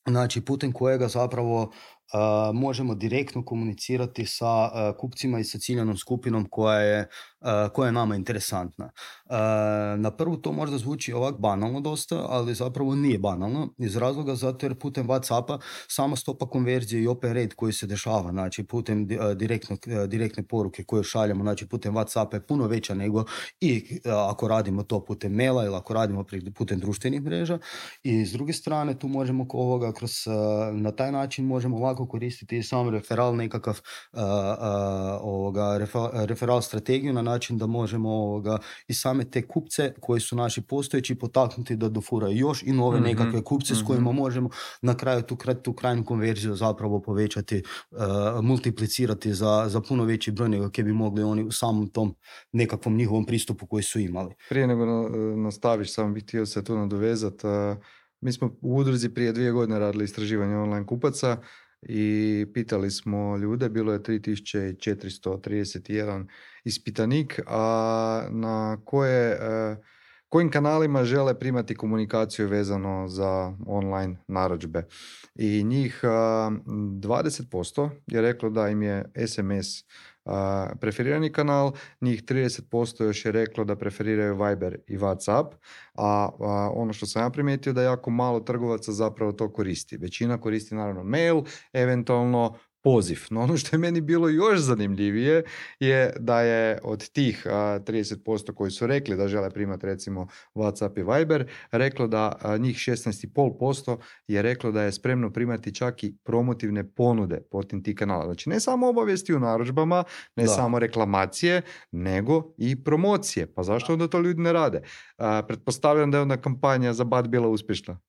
[SPEAKER 2] znači putem kojega zapravo možemo direktno komunicirati sa kupcima i sa ciljanom skupinom koja je nama interesantna. Na prvu to možda zvuči ovak banalno dosta, ali zapravo nije banalno, iz razloga zato jer putem WhatsAppa sama stopa konverzije i open rate koji se dešava, znači putem direktne poruke koje šaljemo, znači putem WhatsAppa je puno veća nego i ako radimo to putem maila ili ako radimo putem društvenih mreža. I s druge strane tu možemo na taj način možemo ovako koristiti sam referal nekakav referal strategiju na način da možemo i same te kupce koji su naši postojeći potaknuti da dofuraju još i nove nekakve kupce s kojima možemo na kraju tu krajnju konverziju zapravo povećati, multiplicirati za puno veći broj nego kad bi mogli oni u samom tom nekakvom njihovom pristupu koji su imali.
[SPEAKER 1] Prije nego nastaviš, samo bih htio se tu nadovezati. Mi smo u udruzi prije 2 godine radili istraživanje online kupaca i pitali smo ljude, bilo je 3431 ispitanik, a na koje kojim kanalima žele primati komunikaciju vezano za online narudžbe. I njih 20% je reklo da im je SMS preferirani kanal, njih 30% još je reklo da preferiraju Viber i WhatsApp, a ono što sam ja primijetio da jako malo trgovaca zapravo to koristi. Većina koristi naravno mail, eventualno poziv. No ono što je meni bilo još zanimljivije je da je od tih 30% koji su rekli da žele primati recimo WhatsApp i Viber, reklo da njih 16,5% je reklo da je spremno primati čak i promotivne ponude putem tih kanala. Znači ne samo obavijesti u narudžbama, ne samo reklamacije, nego i promocije. Pa zašto onda to ljudi ne rade? Pretpostavljam da je onda kampanja za BAT bila uspješna.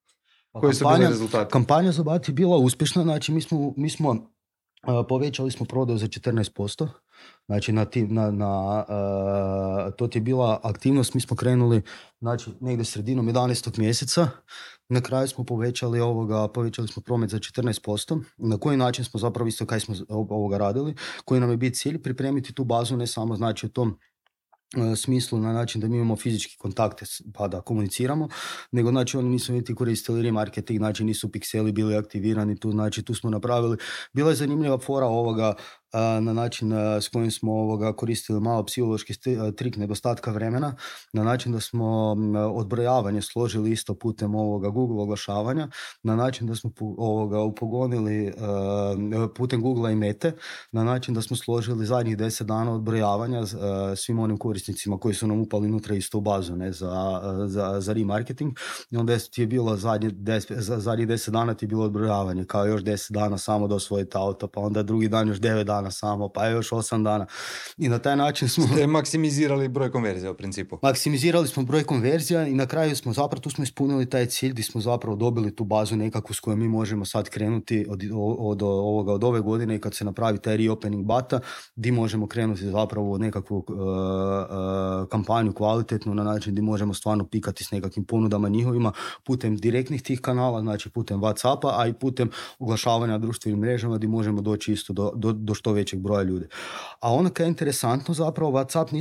[SPEAKER 1] Koji su bili rezultati?
[SPEAKER 2] Kampanja za BAT je bila uspješna, znači mi smo povećali smo prodaju za 14%, znači to ti je bila aktivnost, mi smo krenuli znači negdje sredinom 11. mjeseca, na kraju smo povećali smo promet za 14%, na koji način smo zapravo isto kaj smo radili, koji nam je bio cilj pripremiti tu bazu ne samo znači u tom smislu na način da mi imamo fizički kontakte pa da komuniciramo, nego znači oni nisu niti koristili remarketing, znači nisu pikseli bili aktivirani tu, znači tu smo napravili. Bila je zanimljiva fora ovoga na način s kojim smo koristili malo psihološki trik nedostatka vremena, na način da smo odbrojavanje složili isto putem Google oglašavanja, na način da smo upogonili putem Google i Mete, na način da smo složili zadnjih 10 dana odbrojavanja svim onim korisnicima koji su nam upali unutra isto u bazu za remarketing. I onda ti je bilo zadnjih 10 dana ti je bilo odbrojavanje, kao još 10 dana samo da osvojite auto, pa onda drugi dan još 9 dana samo, pa još 8 dana. I na taj način smo...
[SPEAKER 1] Ste maksimizirali broj konverzija u principu.
[SPEAKER 2] Maksimizirali smo broj konverzija i na kraju smo zapravo, tu smo ispunili taj cilj gdje smo zapravo dobili tu bazu nekakvu s kojom mi možemo sad krenuti od ove godine i kad se napravi taj reopening bata, gdje možemo krenuti zapravo nekakvu kampanju kvalitetnu na način gdje možemo stvarno pikati s nekakvim ponudama njihovima putem direktnih tih kanala, znači putem WhatsAppa, a i putem oglašavanja na društvenim mrežama gdje možemo doći isto do što većeg broja ljudi. A ono kaj je interesantno zapravo, WhatsApp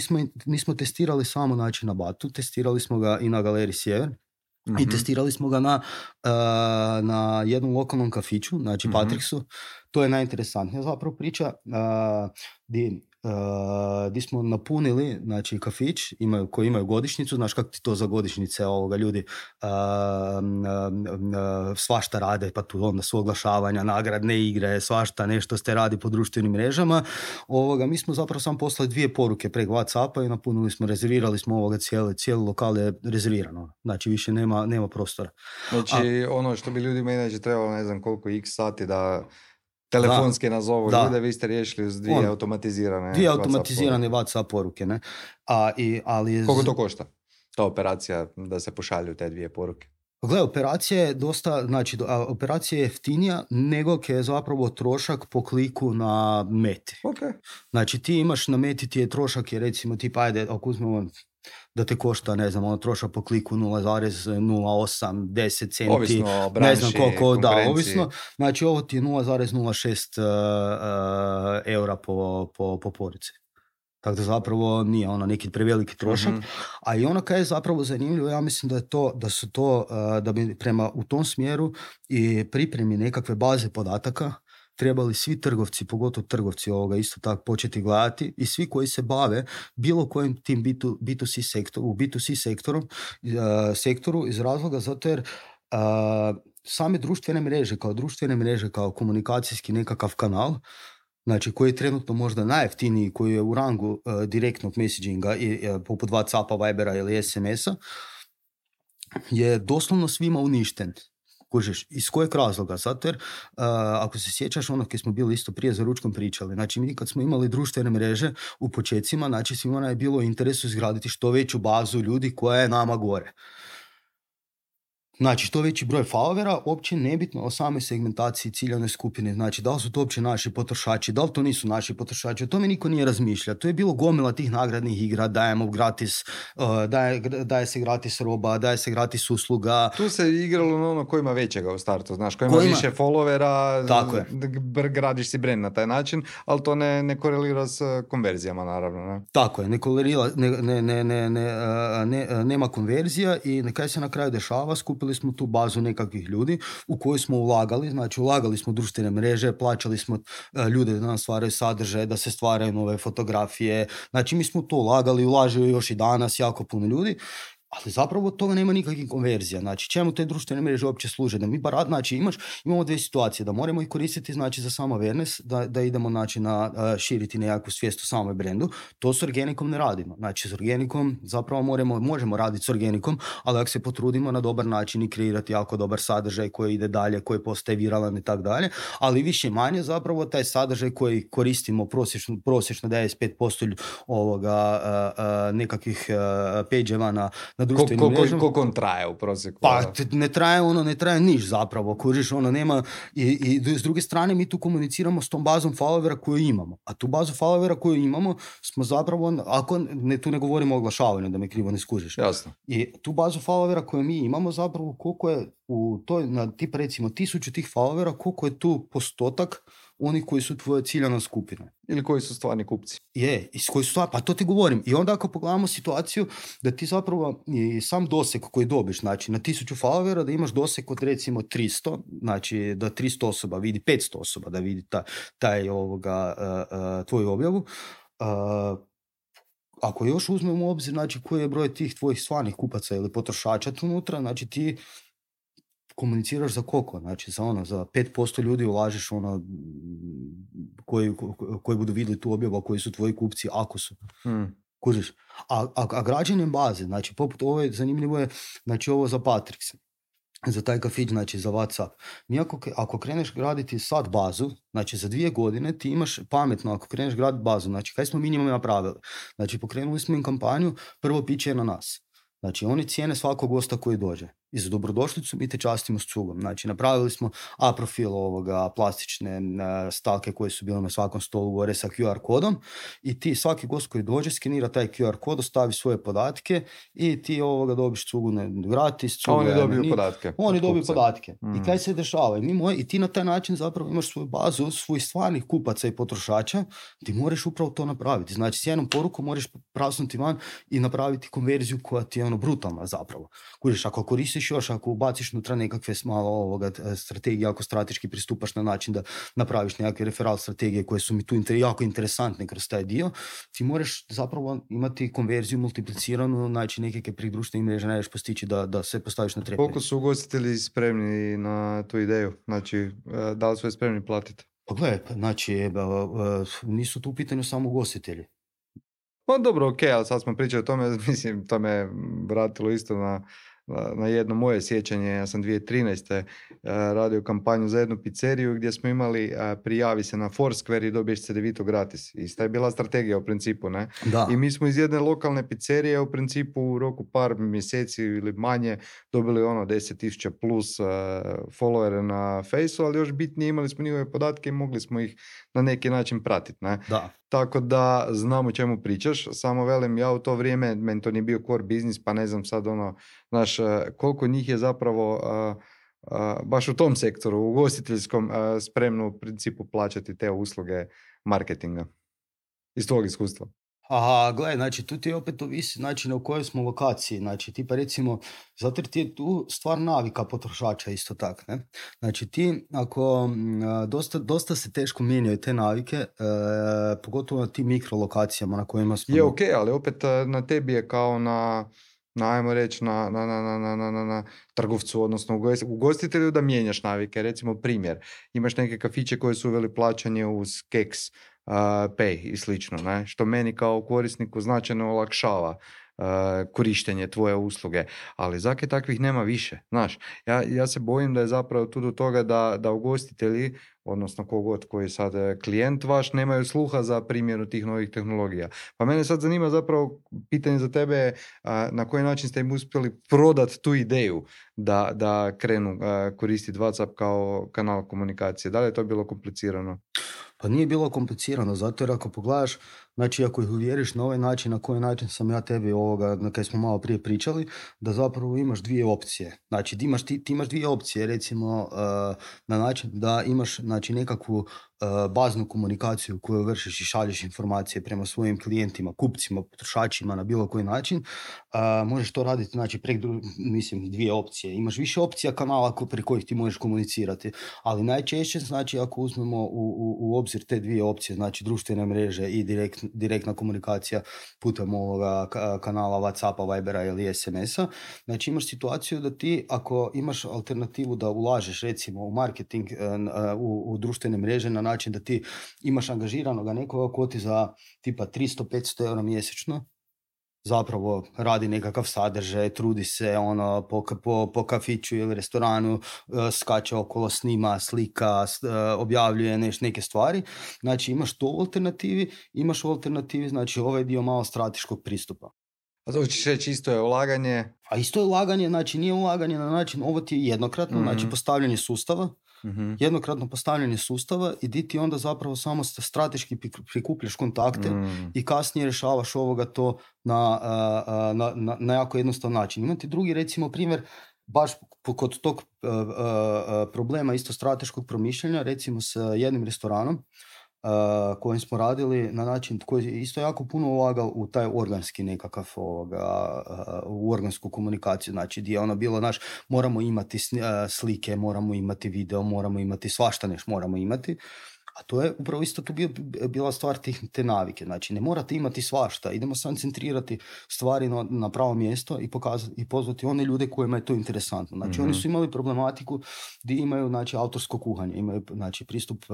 [SPEAKER 2] nismo testirali samo znači na Batu, testirali smo ga i na Galeriji Sjever. Mm-hmm. I testirali smo ga na jednom lokalnom kafiću, znači Patriksu. To je najinteresantnija zapravo priča gdje smo napunili znači kafić koji imaju godišnjicu, znaš kako ti to za godišnjice ljudi svašta rade, pa tu onda su oglašavanja, nagradne igre, svašta nešto ste radi po društvenim mrežama. Mi smo zapravo samo poslali 2 poruke preko WhatsAppa i napunili smo, rezervirali smo cijeli lokal je rezervirano, znači više nema prostora.
[SPEAKER 1] Znači ono što bi ljudima inače trebalo ne znam koliko x sati da telefonski nazovu ljude, vi ste riješili uz 2 automatizirane
[SPEAKER 2] WhatsApp poruke. Ne?
[SPEAKER 1] Koliko to košta? Ta operacija da se pošalju te 2 poruke?
[SPEAKER 2] Gle, operacija je dosta, znači operacija je jeftinija nego je zapravo trošak po kliku na Meti.
[SPEAKER 1] Okay.
[SPEAKER 2] Znači ti imaš na Meti ti je trošak je recimo tipa ajde ako uzmemo da te košta, ne znam, trošak po kliku 0,08, 10 centi,
[SPEAKER 1] ovisno o branši,
[SPEAKER 2] ne znam koliko, da, ovisno. Znači ovo ti je 0,06 eura po porici. Tako da zapravo nije neki preveliki trošak. A i ono kaj je zapravo zanimljivo, ja mislim da bi prema u tom smjeru i pripremi nekakve baze podataka trebali svi trgovci, pogotovo trgovci isto tako početi gledati i svi koji se bave bilo kojim tim B2C sektoru iz razloga zato jer same društvene mreže kao komunikacijski nekakav kanal, znači koji je trenutno možda najjeftiniji, koji je u rangu direktnog messaginga poput WhatsAppa, Vibera ili SMS-a, je doslovno svima uništen. Kužiš, iz kojeg razloga? Zato jer, ako se sjećaš ono kad smo bili isto prije za ručkom pričali, znači mi kad smo imali društvene mreže u početcima, znači svima nam je bilo u interesu izgraditi što veću bazu ljudi koja je nama gore. Znači, što veći broj followera, uopće nebitno o samoj segmentaciji ciljane skupine. Znači, da li su to uopće naši potrošači, da li to nisu naši potrošači, o tome niko nije razmišljao. To je bilo gomila tih nagradnih igra, dajemo gratis, daje se gratis roba, daje se gratis usluga.
[SPEAKER 1] Tu se igralo na ono ko ima većega u startu, znaš, ko ima više followera, gradiš si brand na taj način, ali to ne korelira s konverzijama, naravno. Ne?
[SPEAKER 2] Tako je, ne korelira, nema konverzija i kaj se na kraju dešava, skupili smo tu bazu nekakvih ljudi u koju smo ulagali, znači ulagali smo društvene mreže, plaćali smo ljude da nam stvaraju sadržaje, da se stvaraju nove fotografije, znači mi smo to ulažu još i danas jako puno ljudi, ali zapravo od toga nema nikakvih konverzija. Znači, čemu te društvene mreže uopće služe? Da mi znači, imamo dvije situacije, da moramo ih koristiti znači, za samo awareness, da idemo znači, na širiti nekakvu svijest o samoj brendu. To s organikom ne radimo. Znači, s organikom zapravo možemo raditi s organikom, ali ako se potrudimo na dobar način i kreirati jako dobar sadržaj koji ide dalje, koji postaje viralan i tako dalje, ali više manje zapravo taj sadržaj koji koristimo prosječno 95% nekakvih page-eva na društvenim mrežama.
[SPEAKER 1] Koliko on traje u prosjeku?
[SPEAKER 2] Pa ne traje niš zapravo, kužiš, nema i s druge strane mi tu komuniciramo s tom bazom followera koju imamo, a tu bazu followera koju imamo smo zapravo, tu ne govorimo o oglašavanju, da me krivo ne skužiš.
[SPEAKER 1] Jasno.
[SPEAKER 2] I tu bazu followera koju mi imamo zapravo koliko je u toj, na tipa recimo 1000 tih followera, koliko je tu postotak oni koji su tvoja ciljana skupina.
[SPEAKER 1] Ili koji su stvarni kupci.
[SPEAKER 2] Pa to ti govorim. I onda ako pogledamo situaciju da ti zapravo i sam doseg koji dobiš, znači na 1000 followera da imaš doseg od recimo 300, znači da 300 osoba vidi, 500 osoba da vidi tvoju objavu, ako još uzmemo u obzir znači koji je broj tih tvojih stvarnih kupaca ili potrošača tu unutra, znači ti komuniciraš za koliko? Znači za 5% ljudi ulažeš koji budu vidjeli tu objavu, koji su tvoji kupci, ako su. Kužiš. A građenjem baze, znači poput ove, zanimljivo je, znači ovo za Patrix, za taj kafić, znači za WhatsApp. Mi ako kreneš graditi sad bazu, znači za 2 godine ti imaš pametno, ako kreneš graditi bazu, znači kaj smo minimum napravili? Znači pokrenuli smo im kampanju, prvo piće je na nas. Znači oni cijene svakog gosta koji dođe. I za dobrodošlicu mi te častimo s cugom. Znači napravili smo profil plastične stalke koje su bile na svakom stolu gore sa QR kodom i ti svaki gost koji dođe skenira taj QR kod, ostavi svoje podatke i ti dobiš cugu gratis.
[SPEAKER 1] Oni dobiju podatke.
[SPEAKER 2] Oni dobiju podatke. I kaj se dešava? I ti na taj način zapravo imaš svoju bazu svojih stvarnih kupaca i potrošača, ti moraš upravo to napraviti. Znači s jednom porukom moraš prasnuti van i napraviti konverziju koja ti je brutalna zapravo. Kuriš, ako koristiš još, ako ubaciš unutra nekakve malo strategije, ako strateški pristupaš na način da napraviš nekakve referal strategije koje su mi tu jako interesantne kroz taj dio, ti moraš zapravo imati konverziju multipliciranu, znači nekakve prih društvenih mreža najviš postići da se postaviš na trepe.
[SPEAKER 1] Koliko su ugostitelji spremni na tu ideju? Znači, da li su spremni platiti?
[SPEAKER 2] Pa gledaj, znači, nisu tu u pitanju samo ugostitelji.
[SPEAKER 1] Pa dobro, ok, ali sad smo pričali o tome, mislim, to me vratilo isto na jedno moje sjećanje. Ja sam 2013. radio kampanju za jednu pizzeriju gdje smo imali prijavi se na Foursquare i dobiješ CDVito gratis. Ista je bila strategija u principu, ne?
[SPEAKER 2] Da.
[SPEAKER 1] I mi smo iz jedne lokalne pizzerije u principu u roku par mjeseci ili manje dobili 10,000 plus followere na Faceu, ali još bitnije imali smo njihove podatke i mogli smo ih na neki način pratiti, ne?
[SPEAKER 2] Da.
[SPEAKER 1] Tako da znam o čemu pričaš, samo velim, ja u to vrijeme, meni to nije bio core biznis, pa ne znam sad znaš, koliko njih je zapravo baš u tom sektoru, u ugostiteljskom, spremno u principu plaćati te usluge marketinga. Iz tvojeg iskustva.
[SPEAKER 2] Aha, gledaj, znači tu ti opet ovisi znači na kojoj smo lokaciji, znači ti pa recimo, zato jer ti je tu stvar navika potrošača isto tako, ne? Znači ti ako dosta se teško mijenjaju te navike, pogotovo na tim mikrolokacijama na kojima smo...
[SPEAKER 1] Je ok, ali opet na tebi je kao ajmo reći na trgovcu, odnosno ugostitelju da mijenjaš navike. Recimo primjer, imaš neke kafiće koje su uveli plaćanje uz keks, pay i slično, ne? Što meni kao korisniku značajno olakšava korištenje tvoje usluge, ali zake takvih nema više. Znaš, ja se bojim da je zapravo tu do toga da ugostitelji, odnosno kogod koji je sad klijent vaš, nemaju sluha za primjenu tih novih tehnologija. Pa mene sad zanima zapravo pitanje za tebe, na koji način ste im uspjeli prodati tu ideju da krenu koristiti WhatsApp kao kanal komunikacije. Da li je to bilo komplicirano?
[SPEAKER 2] Pa nije bilo komplicirano, zato jer ako pogledaš, znači ako ih uvjeriš na ovaj način, na koji način sam ja tebi na kaj smo malo prije pričali, da zapravo imaš dvije opcije. Znači ti imaš dvije opcije, recimo na način da imaš znači, nekakvu baznu komunikaciju koju vršiš i šalješ informacije prema svojim klijentima, kupcima, potrošačima na bilo koji način. Možeš to raditi znači, dvije opcije. Imaš više opcija kanala preko kojih ti možeš komunicirati, ali najčešće znači ako uzmemo u obzir te dvije opcije, znači društvene mreže i direktna komunikacija putem ovoga kanala WhatsAppa, Vibera ili SMS-a, znači imaš situaciju da ti ako imaš alternativu da ulažeš recimo u marketing u društvene mreže na način da ti imaš angažiranoga nekoga ko ti za tipa 300-500 eura mjesečno zapravo radi nekakav sadržaj, trudi se po kafiću ili restoranu, skače okolo, snima, slika, objavljuje neke stvari. Znači imaš to u alternativi, imaš u alternativi znači ovaj dio malo strateškog pristupa.
[SPEAKER 1] A to ćeš reći isto je ulaganje?
[SPEAKER 2] A isto je ulaganje, znači nije ulaganje na način, ovo ti je jednokratno, znači postavljanje sustava, jednokratno postavljanje sustava i di ti onda zapravo samo strateški prikupljaš kontakte i kasnije rješavaš ovoga to na jako jednostavan način. Imate drugi recimo primjer, baš kod tog problema isto strateškog promišljanja, recimo s jednim restoranom kojim smo radili na način koji je isto jako puno ulagao u taj organski nekakav u organsku komunikaciju, znači gdje je ono bilo moramo imati slike, moramo imati video, moramo imati svašta nešto moramo imati. A to je upravo isto tu bila stvar te navike. Znači, ne morate imati svašta. Idemo sam centrirati stvari na pravo mjesto i pozvati one ljude kojima je to interesantno. Znači, oni su imali problematiku gdje imaju znači, autorsko kuhanje. Imaju znači, pristup,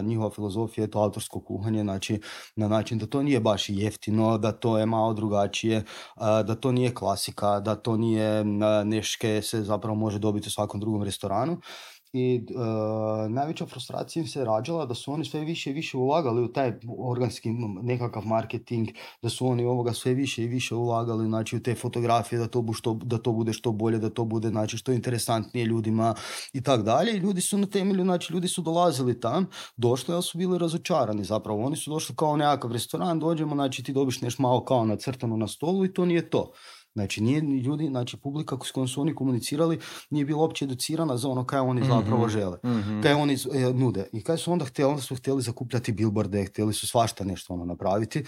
[SPEAKER 2] njihova filozofija je to autorsko kuhanje. Znači, na način da to nije baš jeftino, da to je malo drugačije, da to nije klasika, da to nije neške se zapravo može dobiti u svakom drugom restoranu. I najveća frustracija im se rađala da su oni sve više i više ulagali u taj organski nekakav marketing, da su oni sve više i više ulagali znači, u te fotografije, da to bude što bolje, da to bude znači, što interesantnije ljudima i tak dalje. I ljudi su na temelju, znači ljudi su dolazili tam, došli, ali su bili razočarani zapravo. Oni su došli kao nekakav restoran, dođemo, znači ti dobiš nešto malo kao nacrtano na stolu i to nije to. Znači, nije ljudi, znači publika s kojom su oni komunicirali nije bila uopće educirana za ono kaj oni zapravo žele, kaj oni nude. I kaj su onda htjeli? Onda su htjeli zakupljati billboarde, htjeli su svašta nešto napraviti,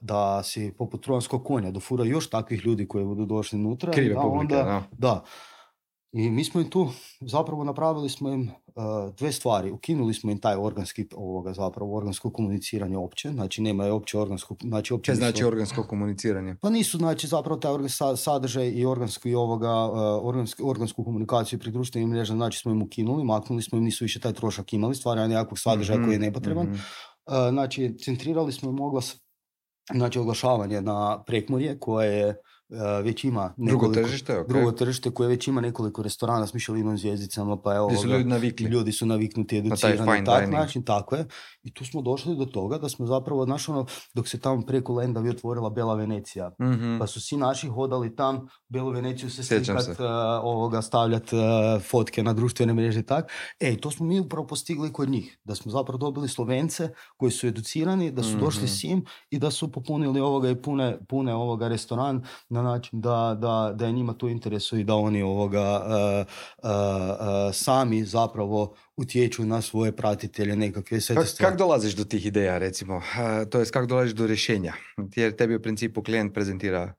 [SPEAKER 2] da si poput trojanskog konja dofura još takvih ljudi koji budu došli unutra.
[SPEAKER 1] Krive publike,
[SPEAKER 2] da. I mi smo im tu zapravo napravili smo im dve stvari. Ukinuli smo im taj organsko komuniciranje opće. Znači nema je opće organsko...
[SPEAKER 1] Znači organsko komuniciranje?
[SPEAKER 2] Pa nisu znači zapravo taj sadržaj i organsku komunikaciju pri društvenim mrežama znači smo im ukinuli, maknuli smo im, nisu više taj trošak imali, stvaranje nekakvog sadržaja koji je nepotreban. Znači centrirali smo im znači oglašavanje na Prekmurje koje je već ima drugo tržište koje već ima nekoliko restorana s Michelinovim zvjezdicama, pa evo ljudi su naviknuti, educirani na tak način, tako je. I tu smo došli do toga da smo zapravo, dok se tamo preko Lendavi otvorila Bela Venecija, pa su svi naši hodali tam, Belu Veneciju se slikat, stavljati fotke na društvene mreže i tak. To smo mi upravo postigli kod njih, da smo zapravo dobili Slovence koji su educirani, da su došli s njim i da su popunili i pune restoran na način da je njima to interesu i da oni sami zapravo utječu na svoje pratitelje nekakve sve te stvari.
[SPEAKER 1] Kako dolaziš do tih ideja, recimo? To jest, kako dolaziš do rješenja? Jer tebi u principu klijent prezentira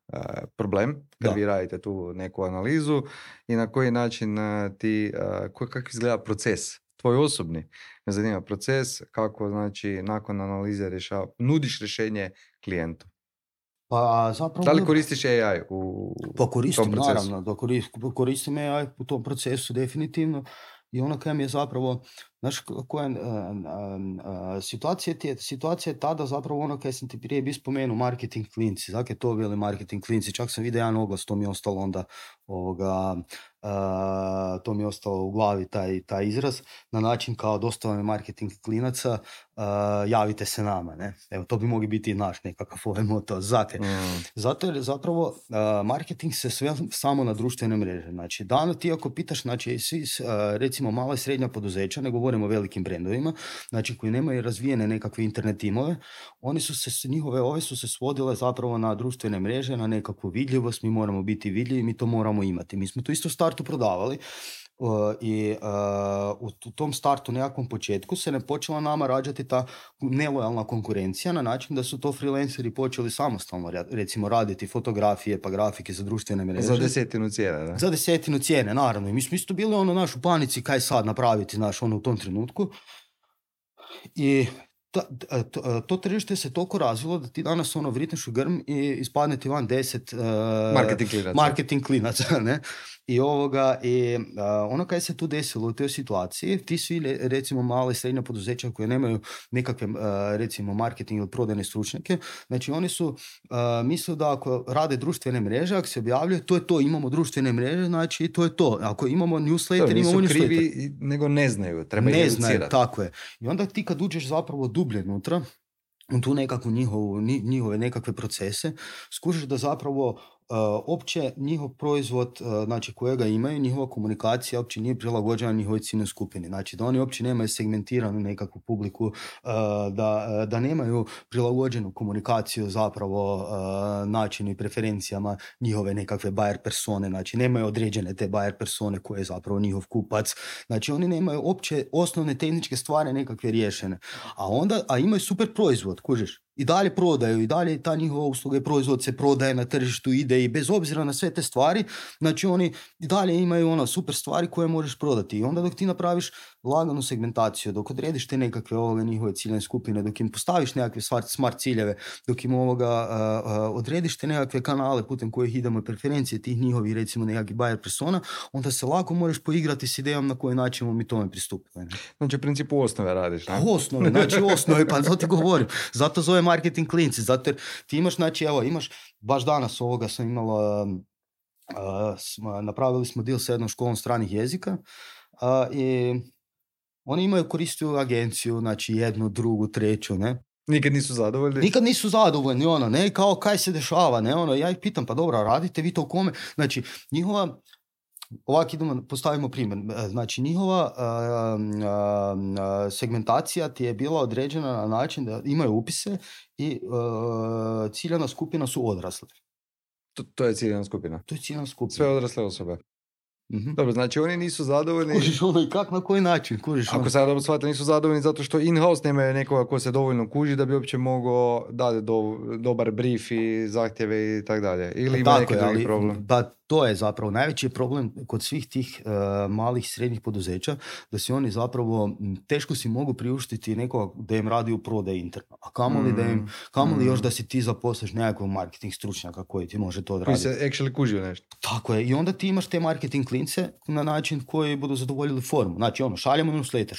[SPEAKER 1] problem, kad vi radite tu neku analizu i na koji način kako izgleda proces, tvoj osobni. Me zanima proces, kako znači nakon analize nudiš rješenje klijentu.
[SPEAKER 2] Pa zapravo...
[SPEAKER 1] Da li koristiš AI
[SPEAKER 2] pa koristim, naravno, koristim AI u tom procesu definitivno i ono kaj mi je zapravo, Znaš, situacija je tada zapravo ono kaj sam ti prije bi spomenuo, marketing klinci. Zakaj to bili marketing klinci? Čak sam vidio jedan oglas, to mi je ostalo onda to mi je ostalo u glavi taj izraz, na način kao dostava marketing klinaca, javite se nama, ne? Evo, to bi mogli biti i naš nekakav moto. Zato jer zapravo marketing se sve samo na društvene mreže. Znači, ti ako pitaš, znači, recimo mala i srednja poduzeća, ne govorimo o velikim brendovima, znači koji nemaju razvijene nekakve internet timove, ove su se svodile zapravo na društvene mreže, na nekakvu vidljivost, mi moramo biti vidljivi, mi to moramo imati. Mi smo to isto u startu prodavali i u tom startu, nekakvom početku, se ne počela nama rađati ta nelojalna konkurencija na način da su to freelanceri počeli samostalno recimo raditi fotografije pa grafike za društvene mreže.
[SPEAKER 1] Za 10 cijene, da?
[SPEAKER 2] Za 10 cijene, naravno. I mi smo isto bili naš u panici kaj sad napraviti u tom trenutku. I to tržište se toliko razvilo da ti danas vritneš u grm i ispadne ti van 10 marketing klinaca, ne? I ono kaj se tu desilo u toj situaciji, ti svi recimo male i srednja poduzeća koje nemaju nekakve recimo marketing ili prodajne stručnjake, znači oni su mislili da ako rade društvene mreže, ako se objavljaju, to je to, imamo društvene mreže, znači to je to. Ako imamo newsletter, imamo newsletter.
[SPEAKER 1] Nisu krivi, nego ne znaju, treba ih educirati. Ne znaju,
[SPEAKER 2] tako je. I onda ti kad uđeš zapravo dublje unutra, u tu nekakvu njihove nekakve procese, skužiš da zapravo opće njihov proizvod, znači kojega imaju, njihova komunikacija uopće nije prilagođena njihovoj ciljnoj skupini. Znači da oni uopće nemaju segmentiranu nekakvu publiku, da nemaju prilagođenu komunikaciju zapravo načinu i preferencijama njihove nekakve buyer persone. Znači nemaju određene te buyer persone koje je zapravo njihov kupac. Znači oni nemaju opće osnovne tehničke stvari nekakve riješene. A imaju super proizvod, kužiš. I dalje prodaju, i dalje ta njihova usluga i proizvod se prodaje na tržištu, ide i bez obzira na sve te stvari, znači oni i dalje imaju super stvari koje možeš prodati. I onda dok ti napraviš laganu segmentaciju, dok odrediš te nekakve njihove ciljne skupine, dok im postaviš nekakve smart ciljeve, dok im odrediš te nekakve kanale putem kojih idemo i preferencije tih njihovih recimo nekakvih buyer persona, onda se lako možeš poigrati s idejom na koji način mi tome pristupimo.
[SPEAKER 1] Znači u principu osnove radiš, ne?
[SPEAKER 2] Osnove, pa to ti govorim. Zato zove marketing klinci, zato jer ti imaš, znači evo, imaš, baš danas sam imala, napravili smo deal sa jednom školom stranih jezika i oni imaju koristiju agenciju, znači jednu, drugu, treću, ne?
[SPEAKER 1] Nikad nisu zadovoljni, ne, kao kaj se dešava, ne,
[SPEAKER 2] ja ih pitam, pa dobro, radite vi to u kome? Znači, njihova, ovako postavimo primjer, znači njihova segmentacija ti je bila određena na način da imaju upise i ciljana skupina su odrasli.
[SPEAKER 1] To je ciljana skupina?
[SPEAKER 2] To je ciljana skupina.
[SPEAKER 1] Sve odrasle osobe.
[SPEAKER 2] Mm-hmm.
[SPEAKER 1] Dobro, znači oni nisu zadovoljni.
[SPEAKER 2] Kužiš i kak, na koji način?
[SPEAKER 1] Ako sad dobro shvatili, nisu zadovoljni zato što in-house nemaju nekoga ko se dovoljno kuži da bi uopće mogao dati dobar brief i zahtjeve i tako dalje. Ili ima neki drugi problem?
[SPEAKER 2] To je zapravo najveći problem kod svih tih malih i srednjih poduzeća, da si oni zapravo teško si mogu priuštiti nekoga da im radi u prodaji interno. A kamoli još da si ti zaposliš nekakvog marketing stručnjaka koji ti može to odraditi.
[SPEAKER 1] Koji se actually kuži u nešto.
[SPEAKER 2] Tako je. I onda ti imaš te marketing klince na način koji budu zadovoljili formu. Znači šaljemo newsletter,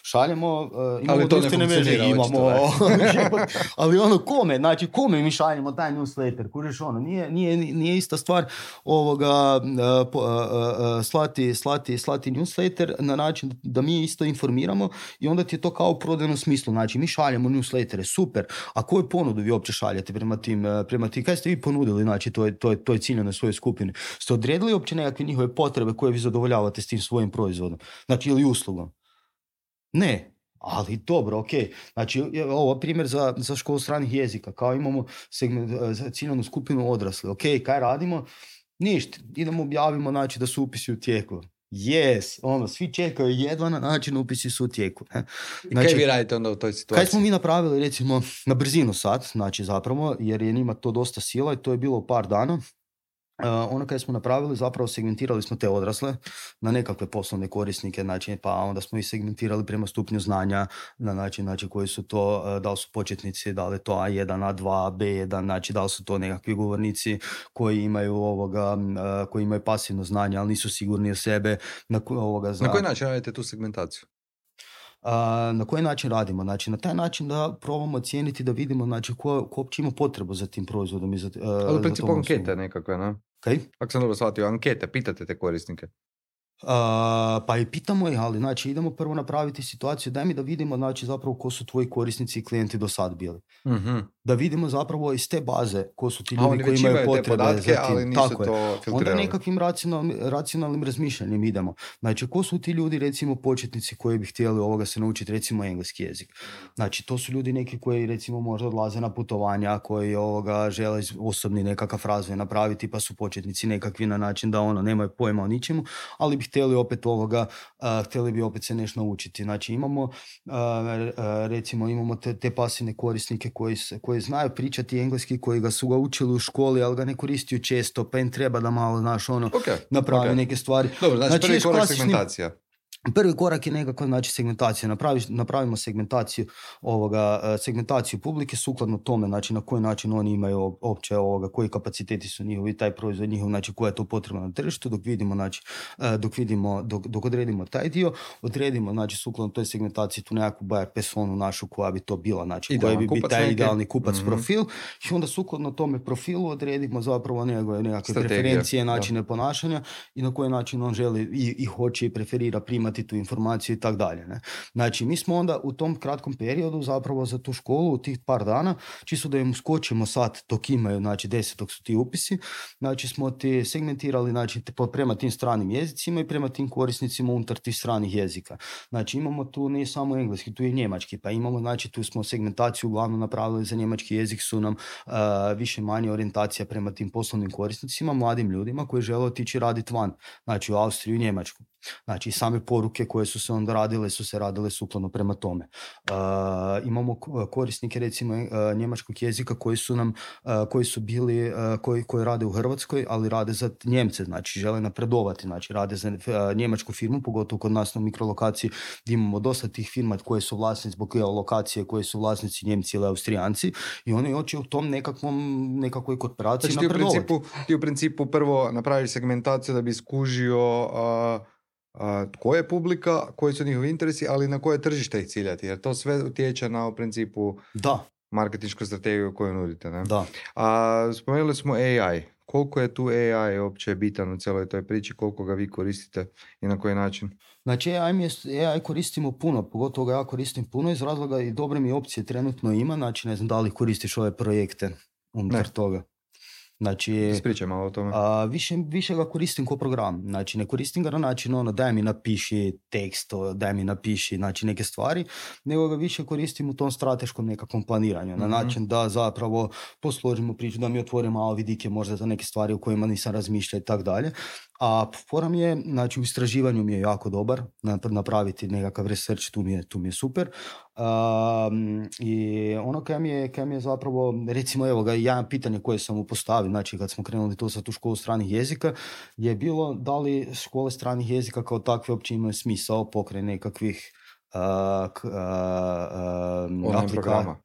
[SPEAKER 2] šaljemo imamo društvene mreže, imamo ali kome? Znači kome mi šaljemo taj newsletter? Kužiš nije ista stvar slati newsletter na način da mi isto informiramo i onda ti je to kao u prodajnom smislu. Znači mi šaljemo newslettere, super. A koju ponudu vi uopće šaljete prema tim? Kaj ste vi ponudili, znači to je ciljanoj svojoj skupini? Ste odredili uopće nekakve njihove potrebe koje vi zadovoljavate s tim svojim proizvodom? Znači ili uslugom? Ne. Ali dobro, ok. Znači, ovo primjer za školu stranih jezika. Kao imamo ciljanu skupinu odrasli. Ok, kaj radimo? Ništa. Idemo objavimo, znači, da su upisi u tijeku. Yes, svi čekaju jedva na način upisi su u tijeku.
[SPEAKER 1] Znači, kaj vi radite onda u toj situaciji?
[SPEAKER 2] Kaj smo mi napravili, recimo, na brzinu sad, znači zapravo, jer je njima to dosta sila i to je bilo u par dana. Ono kaj smo napravili, zapravo segmentirali smo te odrasle na nekakve poslovne korisnike, znači, pa onda smo ih segmentirali prema stupnju znanja na način, znači, koji su to, da li su početnici, da li je to A1, A2, B1, znači, da li su to nekakvi govornici koji imaju pasivno znanje, ali nisu sigurni o sebe.
[SPEAKER 1] Na koji način radite tu segmentaciju?
[SPEAKER 2] Na koji način radimo? Znači, na taj način da probamo ocijeniti, da vidimo znači, ko uopće ima potrebu za tim proizvodom.
[SPEAKER 1] Ali u principu ankete nekakve, ne?
[SPEAKER 2] Okay.
[SPEAKER 1] Ako sam dobro shvatio, ankete, pitate te korisnike.
[SPEAKER 2] Pa i pitamo ih, ali znači idemo prvo napraviti situaciju, daj mi da vidimo znači zapravo ko su tvoji korisnici i klijenti do sad bili.
[SPEAKER 1] Mm-hmm.
[SPEAKER 2] Da vidimo zapravo iz te baze ko su ti ljudi koji imaju potrebe
[SPEAKER 1] podatke,
[SPEAKER 2] za tim.
[SPEAKER 1] Ali nisu tako to filtrirali.
[SPEAKER 2] Onda nekakvim racionalnim razmišljanjem idemo. Znači ko su ti ljudi recimo početnici koji bi htjeli se naučiti recimo engleski jezik. Znači to su ljudi neki koji recimo možda odlaze na putovanja, koji žele osobni nekakav razvoj napraviti, pa su početnici nekakvi na način da nemaju pojma o ničemu, ali bi htjeli bi opet se nešto naučiti. Znači imamo imamo te pasivne korisnike koji znaju pričati engleski, koji su ga učili u školi, ali ga ne koristiju često, pa im treba da malo napravi neke stvari.
[SPEAKER 1] Dobro, znači prvi korak segmentacija.
[SPEAKER 2] Prvi korak je nekako znači segmentacija. Napravimo segmentaciju publike sukladno tome, znači na koji način oni imaju opće koji kapaciteti su njihovi, taj proizvod njihov, znači koja je to potrebno na tržištu, dok odredimo taj dio, odredimo znači sukladno toj segmentaciji tu nekakvu buyer personu našu koja bi to bila, znači koja bi biti taj idealni kupac profil, i onda sukladno tome profilu odredimo zapravo nekakve preferencije, načine ponašanja i na koji način on želi i hoće i preferira primati tu informaciju i tako dalje. Znači, mi smo onda u tom kratkom periodu zapravo za tu školu u tih par dana, čisto da im uskočimo sad dok imaju, znači 10 dok su ti upisi, znači smo ti segmentirali znači, prema tim stranim jezicima i prema tim korisnicima unutar tih stranih jezika. Znači, imamo tu ne samo engleski, tu je njemački, pa imamo, znači, tu smo segmentaciju uglavnom napravili za njemački jezik, su nam više manje orijentacija prema tim poslovnim korisnicima, mladim ljudima koji žele otići raditi van, znači u Austriju i Njemačku. Znači, same poruke koje su se onda radile sukladno prema tome. Imamo korisnike, recimo, njemačkog jezika koji su bili, koji rade u Hrvatskoj, ali rade za Njemce, znači žele napredovati, znači rade za njemačku firmu, pogotovo kod nas na mikrolokaciji, gdje imamo dosta tih firma koje su vlasnici zbog lokacije, koje su vlasnici Njemci ili Austrijanci, i oni hoće u tom nekakvoj korporaciji znači, napredovati.
[SPEAKER 1] Ti u principu prvo napraviš segmentaciju da bi skužio koja je publika, koji su njihovi interesi, ali na koje tržište ih ciljati, jer to sve utječe na u principu marketinšku strategiju koju nudite. Ne?
[SPEAKER 2] Da.
[SPEAKER 1] Spomenuli smo AI. Koliko je tu AI uopće bitan u cijeloj toj priči, koliko ga vi koristite i na koji način?
[SPEAKER 2] Znači AI koristimo puno, pogotovo ga ja koristim puno iz razloga i dobre mi opcije trenutno ima, znači ne znam da li koristiš ove projekte unutar toga. Znači,
[SPEAKER 1] ispričaj malo o tome.
[SPEAKER 2] Više ga koristim kao program. Znači, ne koristim ga na način daj mi napiši tekst, daj mi napiši znači, neke stvari, nego ga više koristim u tom strateškom nekakvom planiranju. Na način da zapravo posložimo priču, da mi otvorimo malo vidike možda za neke stvari u kojima nisam razmišljao i tako dalje. A forum je, znači u istraživanju mi je jako dobar, napraviti nekakav research, tu mi je super. I ono kaj mi je zapravo, recimo evo ga, jedan pitanje koje sam mu postavio, znači kad smo krenuli to sa tu školu stranih jezika, je bilo da li škole stranih jezika kao takve uopće imaju smisao pokraj nekakvih
[SPEAKER 1] online programa.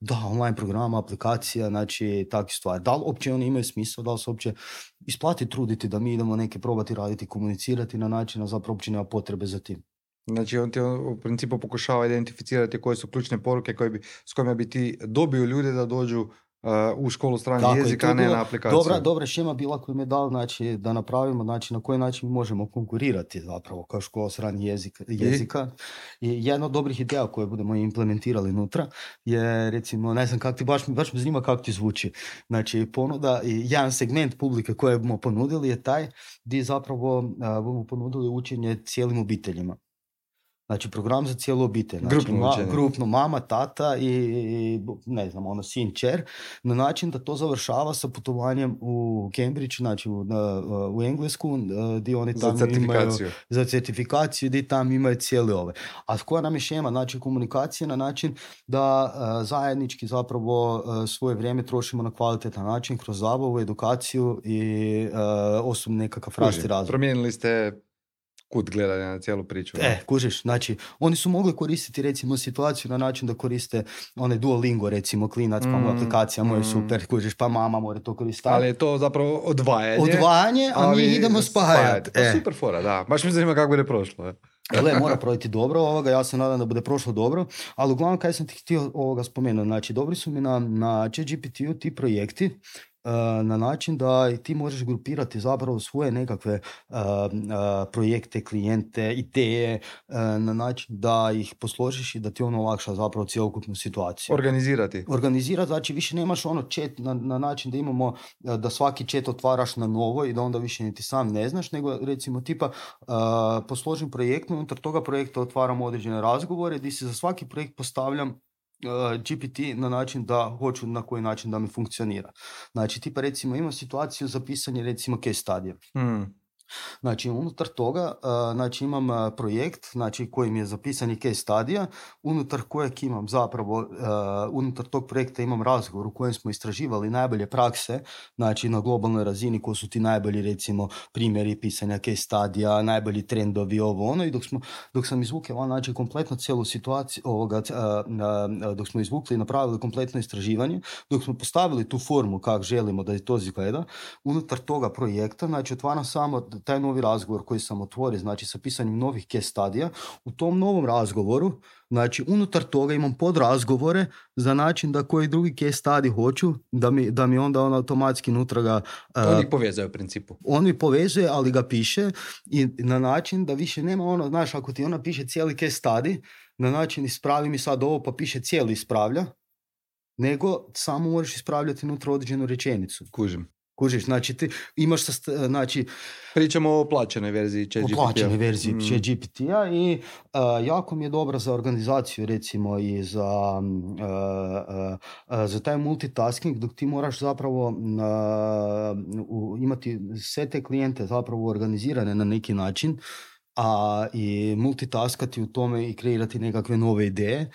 [SPEAKER 2] Da, online programa, aplikacija, znači takve stvari. Da li uopće oni imaju smisla, da li se uopće isplati truditi da mi idemo neke probati raditi, komunicirati na način, a zapravo uopće nema potrebe za tim.
[SPEAKER 1] Znači on ti u principu pokušava identificirati koje su ključne poruke s kojima bi ti dobio ljude da dođu u školu stranih jezika, a ne na aplikaciju.
[SPEAKER 2] Dobra šema bila koju mi je dao, znači, da napravimo znači, na koji način možemo konkurirati zapravo kao škola stranih jezika. I jedna od dobrih ideja koje budemo implementirali unutra je, recimo, ne znam kako ti, baš me zanima kako ti zvuči. Znači, ponuda, jedan segment publike koje bomo ponudili je taj gdje zapravo bomo ponudili učenje cijelim obiteljima. Znači, program za cijelu obitelj. Znači, grupno mama, tata i ne znam, sin, čer, na način da to završava sa putovanjem u Cambridge, znači u Englesku, gdje oni tamo imaju za certifikaciju, gdje tamo imaju cijeli ove. A koja nam je šema, znači komunikacija na način da zajednički zapravo svoje vrijeme trošimo na kvalitetan način kroz zabavu, edukaciju i osobni nekakav rast i razvoj.
[SPEAKER 1] Promijenili ste kut gledanja na cijelu priču.
[SPEAKER 2] Kužiš, znači, oni su mogli koristiti recimo situaciju na način da koriste onaj Duolingo, recimo, klinac, pa mu aplikacija mu je super, kužiš, pa mama mora to koristiti.
[SPEAKER 1] Ali je to zapravo odvajanje.
[SPEAKER 2] A mi idemo spajati.
[SPEAKER 1] Super fora, da. Baš mi zanima kako bi ne prošlo.
[SPEAKER 2] Gle, mora projiti dobro, ja se nadam da bude prošlo dobro, ali uglavnom kaj sam ti htio spomenuti, znači dobri su mi na ChatGPT-u ti projekti, na način da ti možeš grupirati zapravo svoje nekakve projekte, klijente, ideje, na način da ih posložiš i da ti ono olakša zapravo cjelokupnu situaciju. Organizirati, znači više nemaš ono chat na način da imamo da svaki chat otvaraš na novo i da onda više niti sam ne znaš, nego recimo tipa posložim projekt, unutar toga projekta otvaram određene razgovore gdje se za svaki projekt postavljam GPT na način da hoću na koji način da mi funkcionira. Znači, tipa recimo imam situaciju za pisanje recimo case studija. Znači, unutar toga znači, imam projekt znači, kojim je zapisani case studija, unutar kojeg imam zapravo, unutar tog projekta imam razgovor u kojem smo istraživali najbolje prakse, znači na globalnoj razini koji su ti najbolji recimo primjeri pisanja case studija, najbolji trendovi, ovo ono, i dok sam izvukao znači kompletno cijelu situaciju dok smo izvukli i napravili kompletno istraživanje, dok smo postavili tu formu kako želimo da je to izgleda, unutar toga projekta, znači otvaram samo taj novi razgovor koji sam otvorio, znači sa pisanjem novih case studija, u tom novom razgovoru, znači unutar toga imam podrazgovore za način da koji drugi case study hoću, da mi onda on automatski unutra ga...
[SPEAKER 1] On ih povezuje u principu.
[SPEAKER 2] On ih povezuje, ali ga piše i na način da više nema ono, znaš, ako ti ona piše cijeli case study, na način ispravi mi sad ovo pa piše cijeli ispravlja, nego samo možeš ispravljati unutra određenu rečenicu. Kužiš, znači ti imaš znači...
[SPEAKER 1] Pričamo o plaćenoj verziji ChatGPT-a.
[SPEAKER 2] O plaćenoj verziji ChatGPT-a i jako mi je dobra za organizaciju recimo i za taj multitasking, dok ti moraš zapravo imati sve te klijente zapravo organizirane na neki način, a i multitaskati u tome i kreirati nekakve nove ideje,